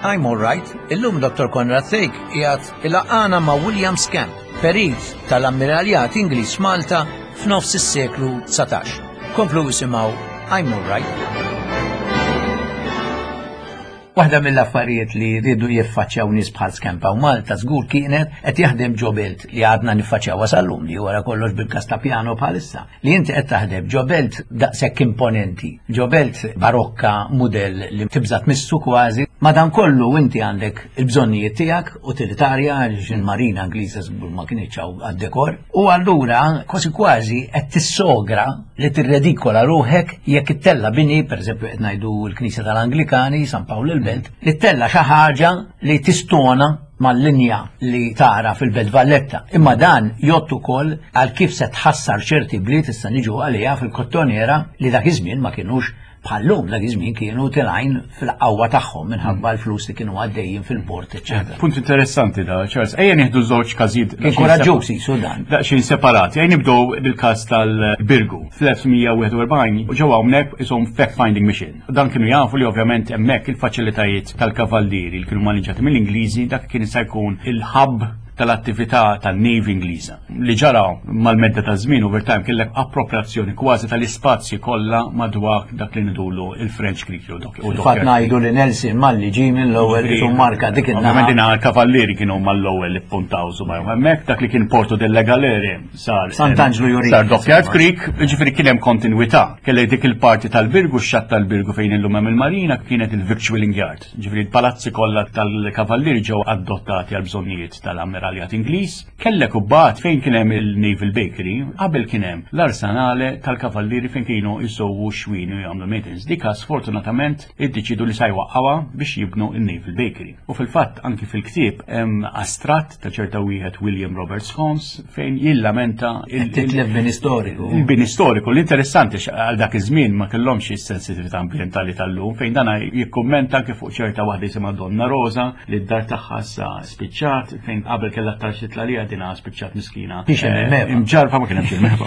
I'm all right. Illum Dottor Konrad Thake qiegħed ilaqqagħna ma' William Scamp, perit tal-Ammiraljat Ingliż Malta f'nofs is-seklu dsatax. Komplu isimgħu I'm all right. Waħda mill-affarijiet li rridu jiffaċċjaw nies bħal Scamp u Malta żgur kienet qed jaħdem ġo belt li għadna niffaċċjaw sal-lum li wara kollox bil-każ ta' Piano bħalissa. Li inti qed taħdem ġo belt daqshekk imponenti, ġo belt barokka mudell li tibża' tmissu kważi. Madankollu inti għandek il-bżonnijiet tiegħek utilitarja għaliex il-marina Ingliża żgur ma kienx hawn għad-dekor. U allura kważi kważi qed tissogra li tirredikola ruħek jekk ittella bini, pereżempju qed ngħidu l-Knisja tal-Anglikani, San Pawl il-Belt, li ttella xi ħaġa li tistona mal-linja li tara fil-Belt Valletta. Imma dan jgħodd ukoll għal kif se tħassar ċerti bliet issa niġu għaliha fil-Kottonera li dak iż-żmien ma kienux bħallum, dak iż-żmien kienu tilgħin fil-qawwa tagħhom minħabba l-flus li kienu għaddejjin fil-port, eċċetera. Punt interessanti da, Charles. Ejja nieħdu żewġ każijiet Kien koraġġuż jisu dan. Daqsxejn separati. Ejja nibdew bil-każ tal-Birgu. Fl-elf mija wieħed u erbgħin ġew hawnhekk ishom fact-finding mission. Dan kienu jafu li ovvjament hemmhekk il-faċilitajiet tal-kavallieri li kienu maniġati mill-Ingliżi, dak kien se jkun il-hub tal-attività tan-Navy Ingliża. Li ġara mal-medda ta' żmien over time kellek appropriazzjoni kważi tal-ispazji kollha madwar dak li nidulu il-French Creek jew dok- u Fatt Dockyard ngħidu li Nelson malli ġie mill-ewwel Ġifieri, isu marka dik Ovvjament in-naħa. din għal-kavallieri kienu mal-ewwel li ppuntaw subajhom. Hemmhekk dak li kien Porto delle Galere sar Sant'Angelo Jurini. Sar Dockyard Creek, ġifieri kien hemm kontinwità. Kellek dik il-parti tal-Birgu, x-xatt tal-Birgu fejn illum hemm il-Marina kienet il-Victualling Yard. Ġifieri l-palazzi kollha tal-kavallieri ġew adottati għal bżonnijiet tal-Ammiraljat Ingliż. Kellek u bat fejn kien hemm il-Naval Bakery, qabel kien hemm l-arsenale tal-kavallieri fejn kienu jsowu xwien u jagħmlu maintenance. Dika sfortunatament iddeċidu li sa jwaqqawha biex jibnu il-Naval Bakery. U fil-fatt anki fil-ktieb hemm astratt ta' ċerta wieħed William Roberts Holmes fejn jillamenta il- Titlef bini storiku. Il-bini storiku. L-interessanti għal dak iż-żmien ma kellhomx is-sensitività ambjentali tal-lum fejn dana jikkummenta anke fuq ċerta waħda jisimha Donna Rosa li d-dar tagħha sa spiċċat fejn qabel kellha tarx titla' dina spiċċat miskina. Biex hemm il-meva. Imġarfa ma kien hemmx il-meva.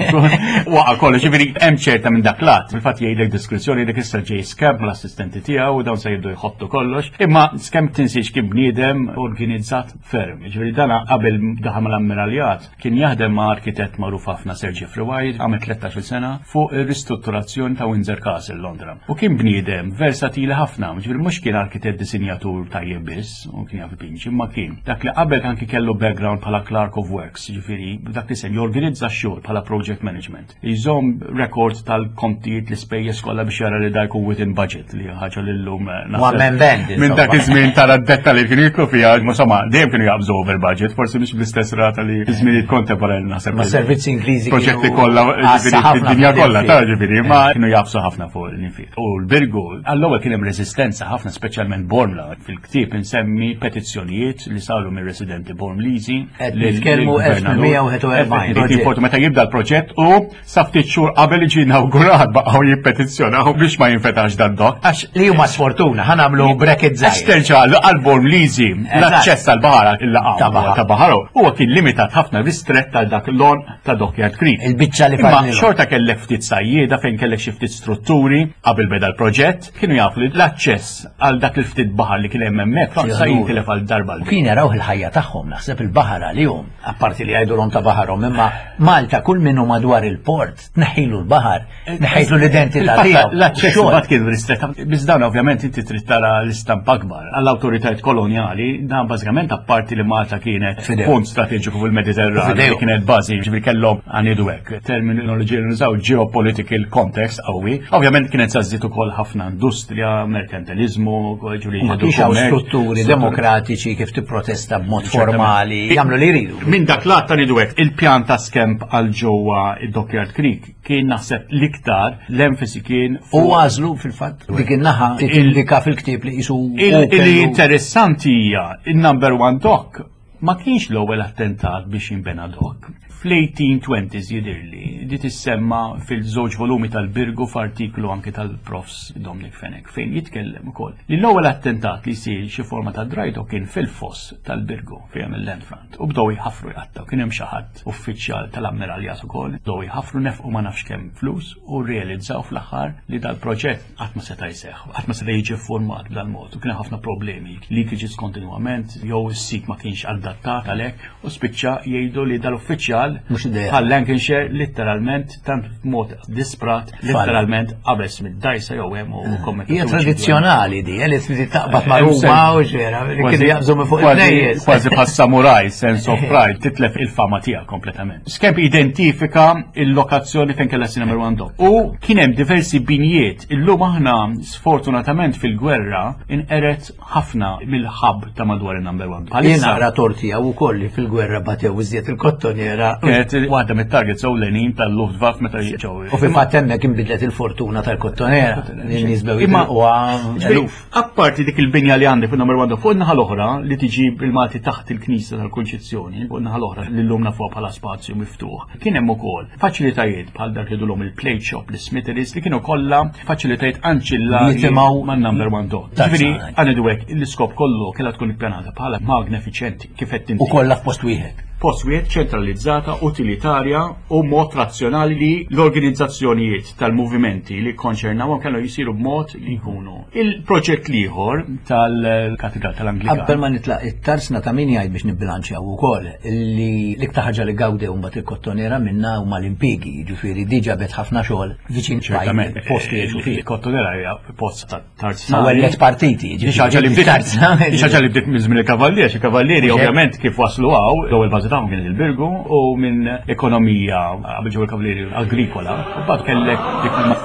Waqa' kollox, ġifieri hemm ċerta minn dak lat. Fil-fatt jgħidlek diskrizzjoni jgħidlek issa ġej Scamp mal-assistenti tiegħu u dawn se jibdu jħottu kollox. Imma Scamp tinsiex kien bniedem organizzat ferm. Ġifieri dana qabel daħal mal-ammiraljat kien jaħdem ma' arkitett magħruf ħafna Sir Jeffrey Wyatt għamel tlettax-il sena fuq ir-ristrutturazzjoni ta' Windsor Castle Londra. U kien bniedem versatili ħafna, ġifieri mhux kien arkitett disinjatur tajjeb biss, u kien jaf ipinġi, imma kien dak li qabel anki kellu background bħala clerk of works, ġifieri dak li sem jorganizza x-xogħol bħala project management. Jżomm rekord tal-kontijiet l-ispejjeż kollha biex jara li da jkun within budget li ħaġa li llum eh, naħseb One man band, Minn dak insomma. iż-żmien tara d-detta li kienu jitlu fiha, insomma, dejjem kienu jaqbżu over budget, forsi mhux bl-istess rata li żminijiet kontemporani naħseb. Ma servizzi Ingliżi Proġetti kienu kollha, għassa ġifieri, ħafna fid-dinja kollha, fil-infiq. ta' ġifieri, ma kienu jaqbżu ħafna fuq l-infiq. U l-Birgu, għall-ewwel kien hemm resistenza ħafna, speċjalment Bormla. Fil-ktieb insemmi petizzjonijiet li saru mir residenti Bormliżi. Qed lil- nitkellmu lill-gvernatur. elf mija wieħed u erbgħin. Proġett. Fortu meta jibda l-proġett u sa ftit xhur qabel iġi inawgurat baqgħu jippetizzjonaw biex ma jinfetax dan dok. Għax Li huma sfortuna, ħa nagħmlu bracket Għax żgħir. terġa' għal-Bormliżi l-aċċess għal-baħar il-laqgħa Ta' baħar. ta' baħar huwa kien limitat ħafna ristrett għal dak l-on ta' Dockyard Creek. Il-biċċa li Imma fadlilu. xorta kellek ftit sajjieda fejn kellek xi ftit strutturi qabel beda l-proġett, kienu jafu li l-aċċess għal dak il-ftit baħar li kien hemm hemmhekk sa jintilef għal darba U kien jaraw il-ħajja tagħhom, naħseb il-baħar għalihom, apparti li jgħidulhom ta' baħarhom, imma Malta kull minnu madwar il-port, tneħħilu l-baħar, tneħħilu l-identità tiegħu. L-aċċess Xogħol. mbagħad kien ristrett. Biss dawn ovvjament inti trid tara l-istampa akbar. Għall-awtoritajiet kolonjali, dan bażikament apparti li Malta kienet Fidejhom. punt strateġiku fil-Mediterran, Fidejhom. li kienet bażi, ġifieri kellhom għanidu hekk. Terminoloġija li nużaw geopolitical context qawwi. Ovvjament kienet sażżit ukoll ħafna industrija, merkantilizmu, ġifieri Ma jieħdu kienx hawn kummerċ. strutturi demokratiċi kif tipprotesta b'mod Ċertament. formali. lokali jagħmlu li jridu. Minn dak lat ta' ngħidu hekk, il-pjan ta' Skemp għal ġewwa id-Dockyard Creek kien naħseb l-iktar l-enfasi kien U għażlu fil-fatt dik in-naħa tindika fil-ktieb li qisu Il- Li interessanti hija il-number one dock ma kienx l-ewwel attentat biex jinbena dock. Fl-eighteen twenties jidirli, di tissemma fil-żewġ volumi tal-Birgu f'artiklu anke tal-Profs Dominic Fenech fejn jitkellem ukoll li l-ewwel attentat li jsir xi forma ta' dry dock kien fil-foss tal-Birgu fejn il-Landfront u bdew jħafru jqattaw. Kien hemm xi ħadd uffiċjal tal-ammiraljat ukoll, bdew jħafru, nefqu ma nafx kemm flus u realizzaw fl-aħħar li dal-proġett qatt ma seta' jseħħ, qatt ma seta' jiġi format b'dal-mod u kien hemm ħafna problemi, leakages kontinwament jew is-sit ma kienx adattat għalhekk u spiċċa jgħidu li dal-uffiċjal Mhux idea. bħal Lancashire letteralment tant mod disprat letteralment qabeż mid-dajsa jew hemm u kommetta Hija tradizzjonali di, eh, li trid taqbad ma' Ruma u ġera, li kienu jaqbżu minn fuq il-knejjes. Kważi bħal samurai, sense of pride, titlef il-fama tiegħek kompletament. Skemp identifika il-lokazzjoni fejn kellha number one dock. U kien hemm diversi binjiet. Illum aħna sfortunatament fil-gwerra inqeret ħafna mill-ħab ta' madwar il-number one. Jien naqra torti għaw ukoll li fil-gwerra batew iżjed il-Kottonera. Kienet waħda mit-targets ewlenin tal-Luftwaffe meta ġew. U fil-fatt hemmhekk inbidlet il-fortuna tal-Kottonera. Li n-nies bew Imma- jitilquha eluf. Apparti dik il-binja li għandek fil-number one, fuq in-naħa l-oħra li tiġi bil-Malti taħt il-Knisja tal-Kunċizzjoni, fuq in-naħa l-oħra li llum nafuha bħala spazju miftuħ. Kien hemm ukoll faċilitajiet bħal dak li dulhom il-plate shop, l-smitheries, li kienu kollha faċilitajiet anċillari Jitimgħu man-number one dock. That's Ġifieri right. għandu hekk l-iskop kollu kellha tkun ippjanata bħala magna effiċjenti kif qed U inti. kollha f'post wieħed. Post wieħed, ċentralizzata, utilitarja u mod razzjonali li l-organizzazzjonijiet tal-movimenti li konċernawhom kellu jisiru b'mod li jkunu. Il-proġett l-ieħor tal-Katedral tal-Anglikan. Qabel ma nitlaq it-tarsna, ta' min jgħid biex nibbilanċjaw ukoll li l-iktar ħaġa li gawdew mbagħad il-Kottonera minna huma l-impjiegi, jiġifieri diġà bet ħafna xogħol viċin Ċertament, post li jgħixu fih. Il-Kottonera hija post ta' tarzna. Ma wellet partiti, Di xaġa li bdiet tarzna. Di xaġa li bdiet minn żmien il-kavallieri, xi kavallieri ovvjament kif waslu hawn, l-ewwel bażi tagħhom kien il-Birgu u minn ekonomija qabel ġew il-kavallieri agrikola, u mbagħad kellek dik il-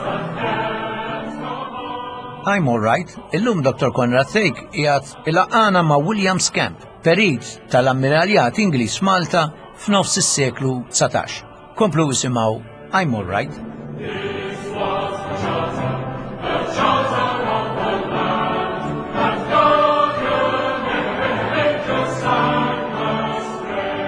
I'm all right. Illum Doctor Konrad Thake qiegħed ilaqqagħna ma' William Scamp, perit tal-ammiraljat Ingliż Malta f'nofs is-seklu dsatax. Komplu isimgħu I'm All Right. This was the charter, the charter of the land, that God will never make your sign astray.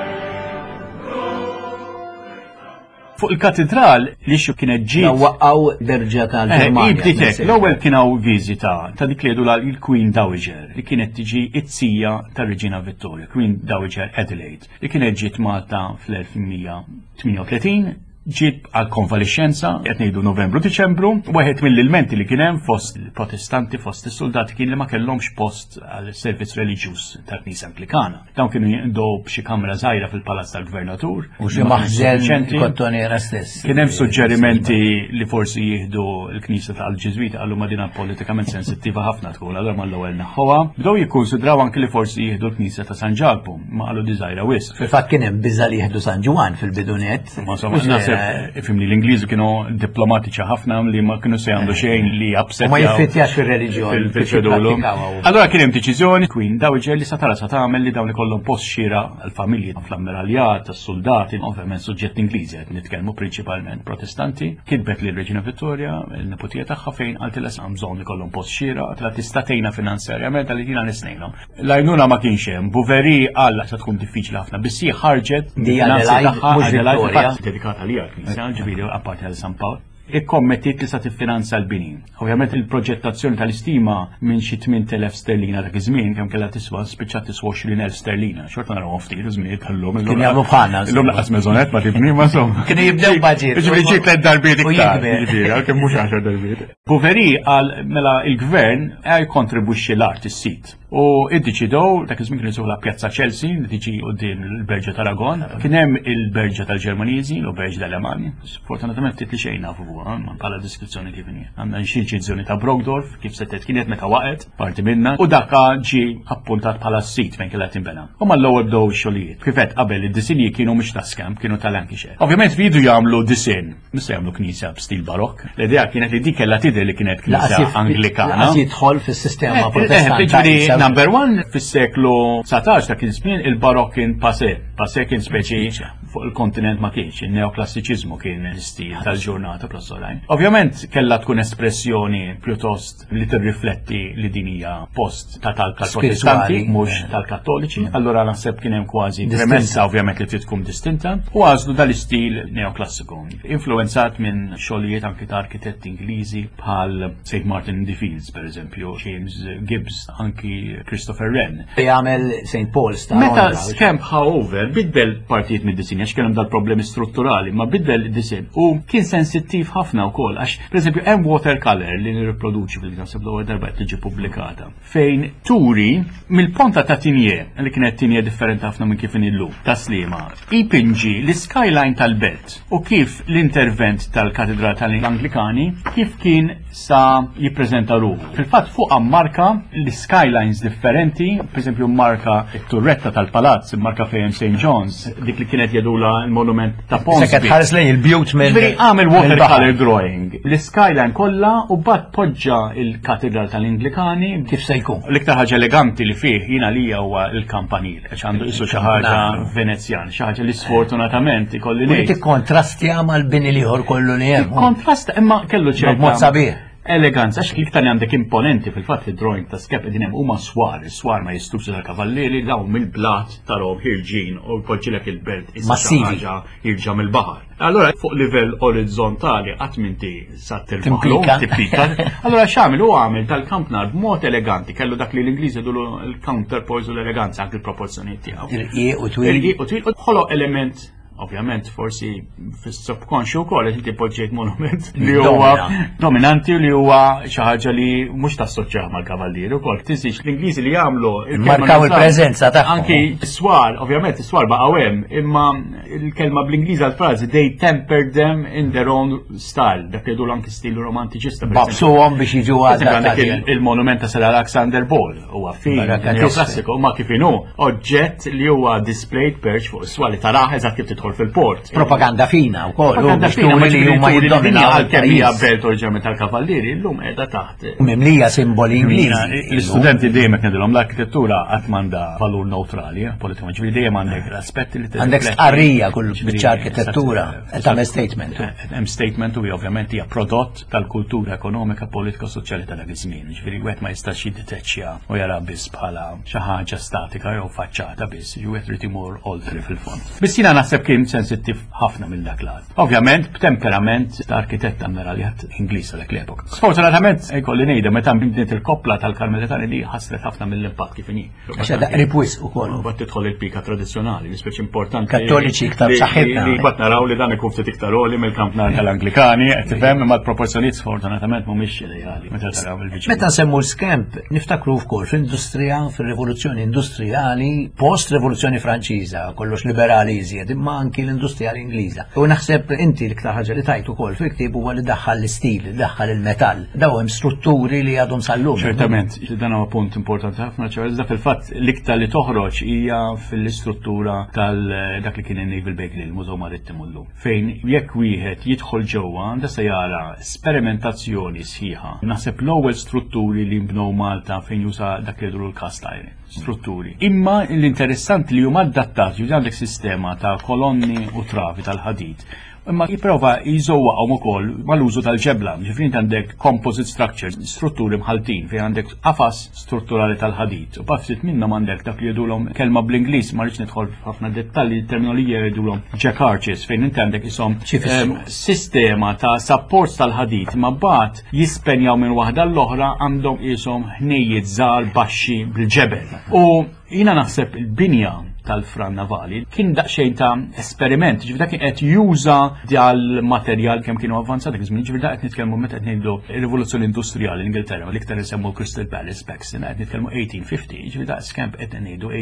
Fuq il-katedral li xu kienet ġiet Waqqaw berġa Eh, tal-Ġermanja. Ibdiet hekk, l-ewwel kien hawn viżita ta' dik li jgħidu il-Queen Dowager, li kienet tiġi it-sija tar-Reġina Vittoria, Queen Dowager Adelaide, li kienet ġiet Malta fl-elf tmien mija tmienja u tletin, ġiet għal konvalixxenza, qed ngħidu Novembru Diċembru. Wieħed mill-ilmenti li kien hemm fost il-Protestanti, fost is-soldati, kien li ma kellhomx post għal servizz reliġjuż tal-Knisja Anglikana. Dawn kienu jinqdew b'xi kamra żgħira fil-Palazz tal-Gvernatur. U xi Ma kienx maħżen suffiċjenti. Kottonera stess. Kien hemm suġġerimenti li forsi jieħdu l-Knisja tal-Ġiżwita, għallu ma dina politikament sensittiva ħafna tkun, allura mal-ewwel neħħuha. Bdew jikkonsidraw anke li forsi jieħdu l-Knisja ta' San Ġakbu, ma qalu di żgħira wisq. Fil-fatt kien hemm biża li jieħdu San Ġwann fil-bidunet. Ma insomma, naħseb, ifhimni, l-Ingliżi kienu diplomatiċi ħafna li ma kienu se jagħmlu xejn li upset U ma jiffittjax fir-reliġjon. Fil-ċedulu. Allora kien hemm deċiżjoni Queen Dowager li satara sa tagħmel li dawn ikollhom post xira għall-familji fl-ammiraljat, tas-soldati, ovvjament suġġett Ingliżi qed nitkellmu, prinċipalment Protestanti. Kitbet lil Reġina Vittoria, il-neputija tagħha, fejn qaltilha hemm bżonn ikollhom post xira, qaltilha tista' tgħinha finanzjarjament għal jiena nisnejnhom. L-għajnuna ma kienx hemm, Bouverie qal se tkun diffiċli ħafna, biss hi ħarġet Di finanzi Adelaide, tagħha, mhux Adelaide, Vittoria. fil-fatt dedikata lija l-knisja, ġifieri apparti għal San Pawl, ikkommettit li sa tiffinanza l-bini. Ovvjament il-proġettazzjoni tal-istima minn xi tmint elef sterlina dak iż-żmien kemm kellha tiswa, spiċċat tiswa għoxrin elf sterlina. Xorta naraw ftit iż-żminijiet tal-lum. Kienu jagħmlu bħalna. Illum laqas maisonette ma tibni, ma insomma. Kienu jibdew budget. Ġifieri ġiet tliet darbiet U iktar. jikber. Ġifieri, għalkemm mhux għaxar darbiet. Bouverie qal mela il-gvern jkontribwixxi l-art, is-sit. U iddeċidew, dak iż-żmien kienu jsejħulha Pjazza Chelsea li tiġi quddiem il-Berġa Taragon. Kien hemm il-Berġa tal-Ġermaniżi, l Berġa tal-Alemani. Sfortunatament ftit li xejn nafu fuq. huwa, ma bħala deskrizzjoni kif inhi. Għandna xi inċiżjoni ta' Brockdorff kif setet kienet meta waqgħet, parti minna, u dakka ġi appuntat bħala sit fejn kellha tinbena. U mal-ewwel bdew ix-xogħlijiet. Kif qed qabel, id-disinji kienu mhux ta' Skemp, kienu ta' Lancashire. Ovvjament jridu jagħmlu disinn, mhux se jagħmlu knisja b'stil barokk. L-idea kienet li dik kellha tidher li kienet knisja Anglikana. Lanqas jidħol fis-sistema Eh, Protestanta. Ġifieri, Issa- number one, fis-seklu dsatax, dak iż-żmien il-barokk kien passé. Passé kien speċi fuq il-kontinent ma kienx, il-neoklassiċiżmu kien l-istil tal-ġurnata plus oħrajn. Ovvjament kellha tkun espressjoni pjuttost li tirrifletti li din hija post ta' tal tal-Protestanti, Spiritwali. mhux tal-Kattoliċi. Allura naħseb kien hemm kważi Distinta. premessa ovvjament li trid tkun distinta u għażlu dal-istil neoklassiku, influenzat minn xogħlijiet anki ta' arkitetti Ingliżi bħal Saint Martin in the Fields, per eżempju, James Gibbs, anki Christopher Wren. Jagħmel Saint Paul's ta' Meta Londra. Skemp ħa over, biddel partijiet mid-disinja, għax kellhom dal-problemi strutturali, ma biddel id-disin u kien sensittiv ħafna wkoll, għax pereżempju hemm watercolor li nirriproduċi fil-naħseb l-ewwel darba qed tiġi pubblikata, fejn turi mill-ponta ta' Tigné, li kienet Tigné differenti ħafna minn kif illum, ta' Sliema, ipinġi l-skyline tal-belt u kif l-intervent tal-Katedral tal-Anglikani kif kien sa jippreżenta ruħu. Fil-fatt fuq marka l-skylines differenti, per esempio marka it-turretta tal-palazz, marka fejn Saint John's, dik li kienet jgħidulha il-monument ta' Seket Ponsby. ħares lejn il-bjut minn. Ġifieri għamel watercolor mill-baħar. drawing, l-skyline kollha u mbagħad poġġa il-Katedral tal-Anglikani. Kif se jkun? L-iktar ħaġa eleganti li fih jina lija huwa il-kampanil, għax għandu isu xi ħaġa Venezjan, xi ħaġa li sfortunatament ikolli U li ngħid. tikkontrastja mal-bini l-ieħor kollu li hemm. Kontrast imma kellu ċerta B'mod sabiħ. eleganza, għax l-iktar li għandek imponenti fil-fatt fid-drawing ta' Skemp qegħdin hemm huma swar, is-swar ma jistux tal-kavallieri, dawn mill-blat tarahom ħirġin u jpoġġilek il-belt issa xi Massivi. ħaġa ħirġa mill-baħar. Allora fuq livell orizzontali qatt m'inti sa tirbaħlu, Timpika. tippika. Allora x'għamel? Hu għamel tal-kampnar b'mod eleganti, kellu dak li l-Ingliżi jgħidulu l-counterpoise u l-eleganza, anke l-proporzjonijiet tiegħu. Irqiq u twil. Irqiq u twil u ħoloq element ovvjament forsi fis-subconscious ukoll qed inti poġġejt monument li huwa Domina. dominanti u li huwa xi ħaġa li mhux tassoċjah mal-kavallieri ukoll. Tinsiex l-Ingliżi li jagħmlu il-kelma Markaw nużaw. il-preżenza tagħhom. Anki s-swar, ovvjament is-swar baqgħu hemm, imma il-kelma bl-Ingliż għal-frażi "they tempered them in their own style", dak li jgħidu anki stilu romantiċista, per eżempju. Babsuhom biex jiġu Għandek adattati. il- il-monument ta' Sir Alexander Ball huwa fin Baraka neoklassiku, ma kif inhu oġġett li huwa displayed perch fuq is-swali taraħ eżatt kif tidħol fil-port. Propaganda fina wkoll, u Propaganda biex fina, ma turi li ġifieri huma turi li dinja jiddominaw għalkemm hija il-pajjiż. belt oriġinalment tal-kavallieri, llum qiegħda taħt Mimlija simboli Ingliżi. L-istudenti dejjem qed ngħidilhom l-arkitettura qatt m'għandha valur neutrali, eh, politikament, ġifieri dejjem għandek l-aspetti li Għandek tirrifletti. stqarrija kull Ġifieri, biċċa arkitettura, eżatt, tagħmel statement. Eh, Hemm statement u ovvjament hija prodott tal-kultura ekonomika, politika u soċjali ta' dak iż-żmien. Ġifieri wieħed ma jistax jiddeteċċja u jara biss bħala xi ħaġa statika jew faċċata biss, ġifieri wieħed irid imur oltre fil-fond. Biss jiena naħseb kien sensittiv ħafna minn dak lat. Ovvjament b'temperament ta' arkitett ammiraljat Ingliż ta' dak l-epoka. Sfortunatament ikolli ngħidha, meta bniet il-koppla tal-Karmelitani li ħasret ħafna mill-impatt kif inhi. Għax għadha qrib wisq ukoll. U mbagħad tidħol il-pika tradizzjonali, li speċi importanti. Kattoliċi iktar li- b'saħħitna. Li mbagħad naraw li dan ikun ftit iktar għoli mill-kampnar tal-Anglikani, qed tifhem, imma l-proporzjonijiet sfortunatament mhumiex ideali meta taraw il-viċin. Meta nsemmu l-Skemp, niftakru wkoll fl-industrija, fil-rivoluzzjoni industrijali, post-rivoluzzjoni Franċiża, kollox liberali iżjed, imma anki l-industrijali Ingliża. U naħseb inti l-iktar ħaġa li tajt ukoll fil-ktieb huwa li daħħal l-istil, daħħal il-metall. Daw hemm strutturi li għadhom sal-lum. Ċertament, dan huwa punt importanti ħafna, ċerta fil-fatt l-iktar li toħroġ hija fil-istruttura tal dak li kien il-Naval Bakery, il-Mużew Marittimu llum. Fejn jekk wieħed jidħol ġewwa għandha se jara sperimentazzjoni sħiħa. Naħseb l-ewwel strutturi li nbnew Malta fejn juża dak li jgħidu l-cast iron strutturi. Imma l-interessanti li huma adattati, għandek sistema ta' kolonni u travi tal-ħadid, imma jipprova jżewwaqhom ukoll mal-użu tal-ġebla. Ġifieri inti għandek composite structures, strutturi mħaltin fejn għandek qafas strutturali tal-ħadid. U ftit minnhom għandek dak li jgħidulhom kelma bl-Ingliż, ma rridx nidħol f'ħafna dettalji, terminologija, jgħidulhom jack arches, fejn inti għandek ishom Xi jfissru? em, sistema ta' supports tal-ħadid ma bat jispenjaw minn waħda l-oħra, għandhom ishom ħnejjiet żgħar baxxi bil-ġebel. U jina naħseb il-binja tal-Fran Navali kien daqsxejn ta' esperiment, ġifieri dak kien qed juża dal-materjal kemm kienu avvanzati dak iż-żmien, ġifieri dak qed nitkellmu meta qed ngħidu rivoluzzjoni industrijali l-Ingilterra, l-iktar insemmu Crystal Palace Paxton, qed nitkellmu eighteen fifty, ġifieri dak Scamp qed ngħidu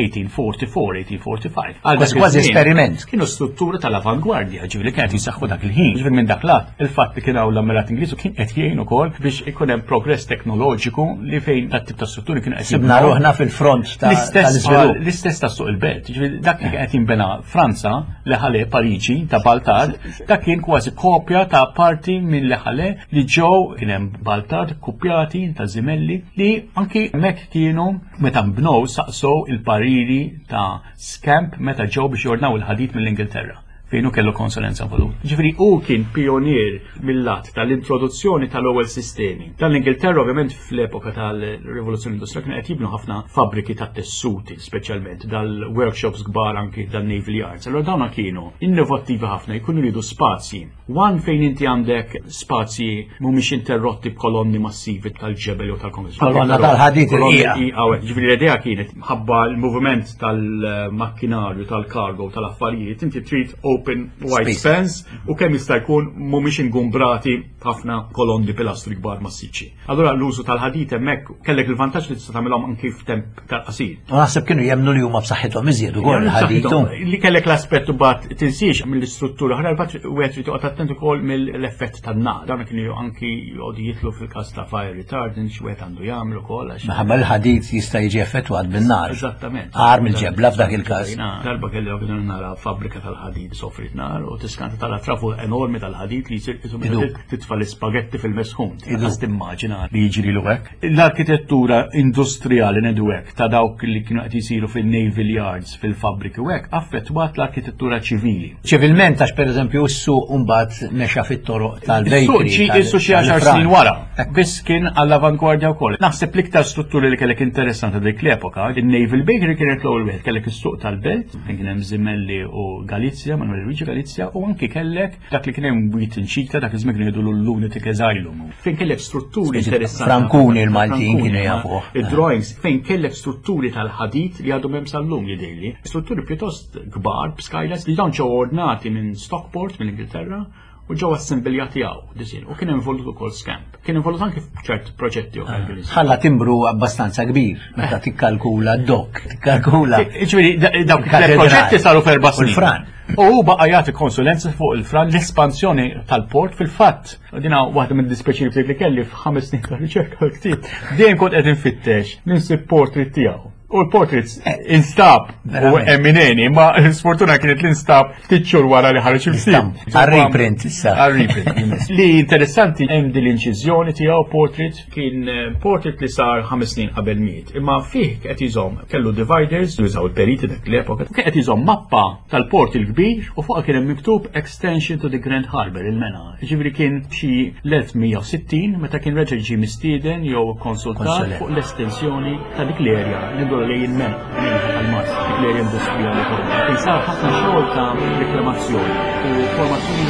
eighteen forty-four, eighteen forty-five. Għal dak Kważi iż-żmien esperiment. Kienu struttura tal-avangwardja, ġifieri kienet jisaħħu dak il-ħin. Ġifieri minn dak lat, il-fatt li kien hawn l-ammirat Ingliż u kien qed jgħin ukoll biex ikun hemm progress teknoloġiku li fejn dat tip ta' strutturi kienu qed Sibna jibnew. ruħna fil-front ta' L-istess tal-iżvilupp. L-istess ta' suq il-belt, ġifieri dak li qed jinbena Franza, Les Halles Pariġi ta' Baltard, dak kien kważi kopja ta' parti minn Les Halles li ġew kien hemm Baltard kopjati ta' Zimelli li anki hemmhekk kienu meta nbnew saqsow il-pariri ta' Scamp meta ġew biex jordnaw il-ħadid mill-Ingilterra fejn hu kellu konsulenza involut. Ġifieri hu kien pionier mill-lat tal-introduzzjoni tal-ewwel sistemi. Tal-Ingilterra ovvjament fl-epoka tal-Rivoluzzjoni Industriali kienu qed jibnu ħafna fabbriki ta' tessuti, speċjalment dal-workshops kbar anki dal-Naval Yards. Allora dawna kienu innovattivi ħafna, jkunu jridu spazji. One fejn inti għandek spazji mhumiex interrotti b'kolonni massivi tal-ġebel jew tal-konkret. Kolonna tal-ħadid Kolonni il-qiegħa. i- Ġifieri l-idea kienet ħabba l-moviment tal-makkinarju, tal-kargo, tal-affarijiet, inti trid open wide Space. spans u kemm jista' jkun mhumiex ingumbrati ħafna kolonni pilastri kbar massiċċi. Allura l-użu tal-ħadid hemmhekk kellek il-vantaġġ li tista' tagħmilhom anki f'temp tal-qasir. U naħseb kienu jemmnu li huma b'saħħithom iżjed ukoll il-ħadid. Li kellek l-aspett bat tinsiex mill-istruttura, ħra l-bat wieħed trid toqgħod attent ukoll mill-effett tan-nar. Dawn kienu anki jqogħdu jitlu fil-każ ta' fire retardant x'wieħed għandu jagħmel ukoll għax Minħabba l-ħadid jista' jiġi effettwat bin-nar. Eżattament. Agħar mill-ġebla f'dak il-każ. Jiena darba kelli okkażjoni nara fabbrika tal-ħadid sofrit nar u tiskanta tara trafu enormi tal-ħadid li jsir qisu meta Idub. titfa' l-ispagetti fil-mesħun. Idub. Tista' timmaġina li jiġri lu hekk. L-arkitettura industrijali ngħidu hekk ta' dawk li kienu qed jisiru fil-naval yards, fil-fabbriki u hekk, affettwat l-arkitettura ċivili. Ċivilment għax pereżempju s-suq mbagħad mexa fit-toroq Is-suq tal-bakery. ġi tal- issu xi għaxar tal-fran. snin wara. Biss kien għall-avangwardja wkoll. Naħseb l-iktar strutturi li kellek interessanti dik l-epoka, il-Naval Bakery kienet l-ewwel wieħed, kellek is-suq tal-belt, fejn kien hemm Zimelli u Galizia, Manuel Luigi Galizia, u anki kellek dak li kien hemm Wheaton Cheetah, dak iż-żmien kienu jgħidu l-Lunatic Asylum. Fejn kellek strutturi Speċi interessanti. Frankuni l-Maltin Frankuni, kienu ma- jafuh. Id-drawings fejn kellek strutturi tal-ħadid li għadhom hemm sal-lum jidhirli. Strutturi pjuttost kbar b'skylights li dawn ġew ordnati minn Stockport mill-Ingilterra u ġew assembiljati hawn disin u kien involut ukoll Scamp. Kien involut anke f'ċert proġetti oħra li kienu Ħalla timbru abbastanza kbir meta tikkalkula d-dok, tikkalkula. Ġifieri, dawk Il-katedral. il-proġetti saru f'erba' U snin. l-Fran. U hu baqa' jagħti konsulenza fuq il-Fran l-espansjoni tal-port fil-fatt. Dina waħda mid-dispjaċiri li kelli f'ħames snin ta' riċerka l-ktieb. Dejjem kont qed infittex ninsib portrait tiegħu. U l-portraits instab u Verament. emineni, ma l-sfortuna kienet l-instab ftit xhur wara li ħareġ il-ktieb. Għal-reprint issa. Għal-reprint. Li interessanti hemm din l-inċiżjoni tiegħu portrait kien eh, portrait li sar ħames snin qabel miet. Imma fih qed iżomm kellu dividers, jużaw il-periti dak l-epoka, kien qed iżomm mappa tal-port il-kbir u fuqha kien hemm miktub Extension to the Grand Harbour il-Mena. Ġifieri kien xi l-elf mija u sittin meta kien reġa' ġie mistieden jew konsultat Konsulent. fuq l-estensjoni ta' dik l-erja li ndur lejn il-Mena, tal-Mars, dik l-erja industrijali kollha. Fejn sar ħafna xogħol ta' reklamazzjoni u formazzjoni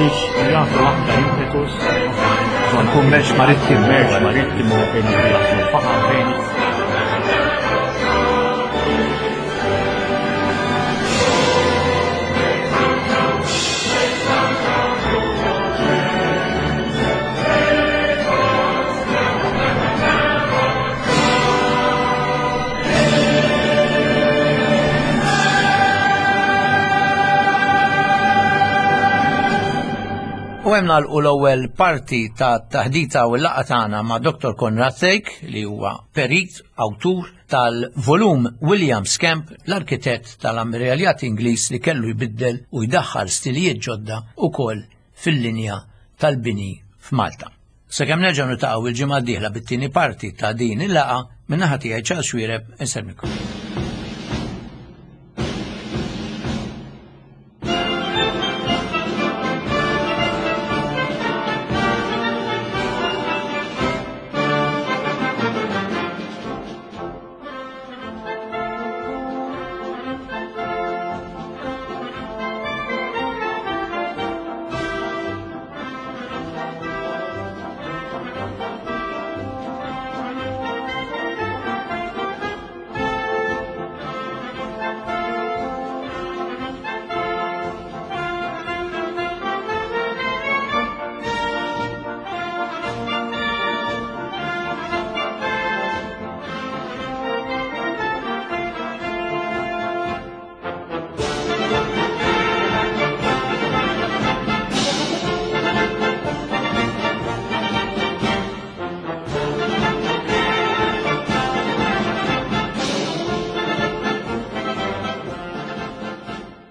biex jagħtu aktar impetus Kummerċ marittimu. Kummerċ marittimu fejn jaħslu faħam fejn U hemm nagħlqu l-ewwel parti ta' taħdita u l-laqgħa tagħna ma' Doktor Konrad Thake, li huwa perit, awtur tal-volum William Scamp, l-arkitett tal-Ammiraljat Ingliż li kellu jbiddel u jdaħħal stilijiet ġodda ukoll fil-linja tal-bini f'Malta. Sakemm nerġgħu niltaqgħu il-ġimgħa d-dieħla bit-tieni parti ta' din il-laqgħa, min-naħa tiegħi Charles Xuereb, insellmilkom.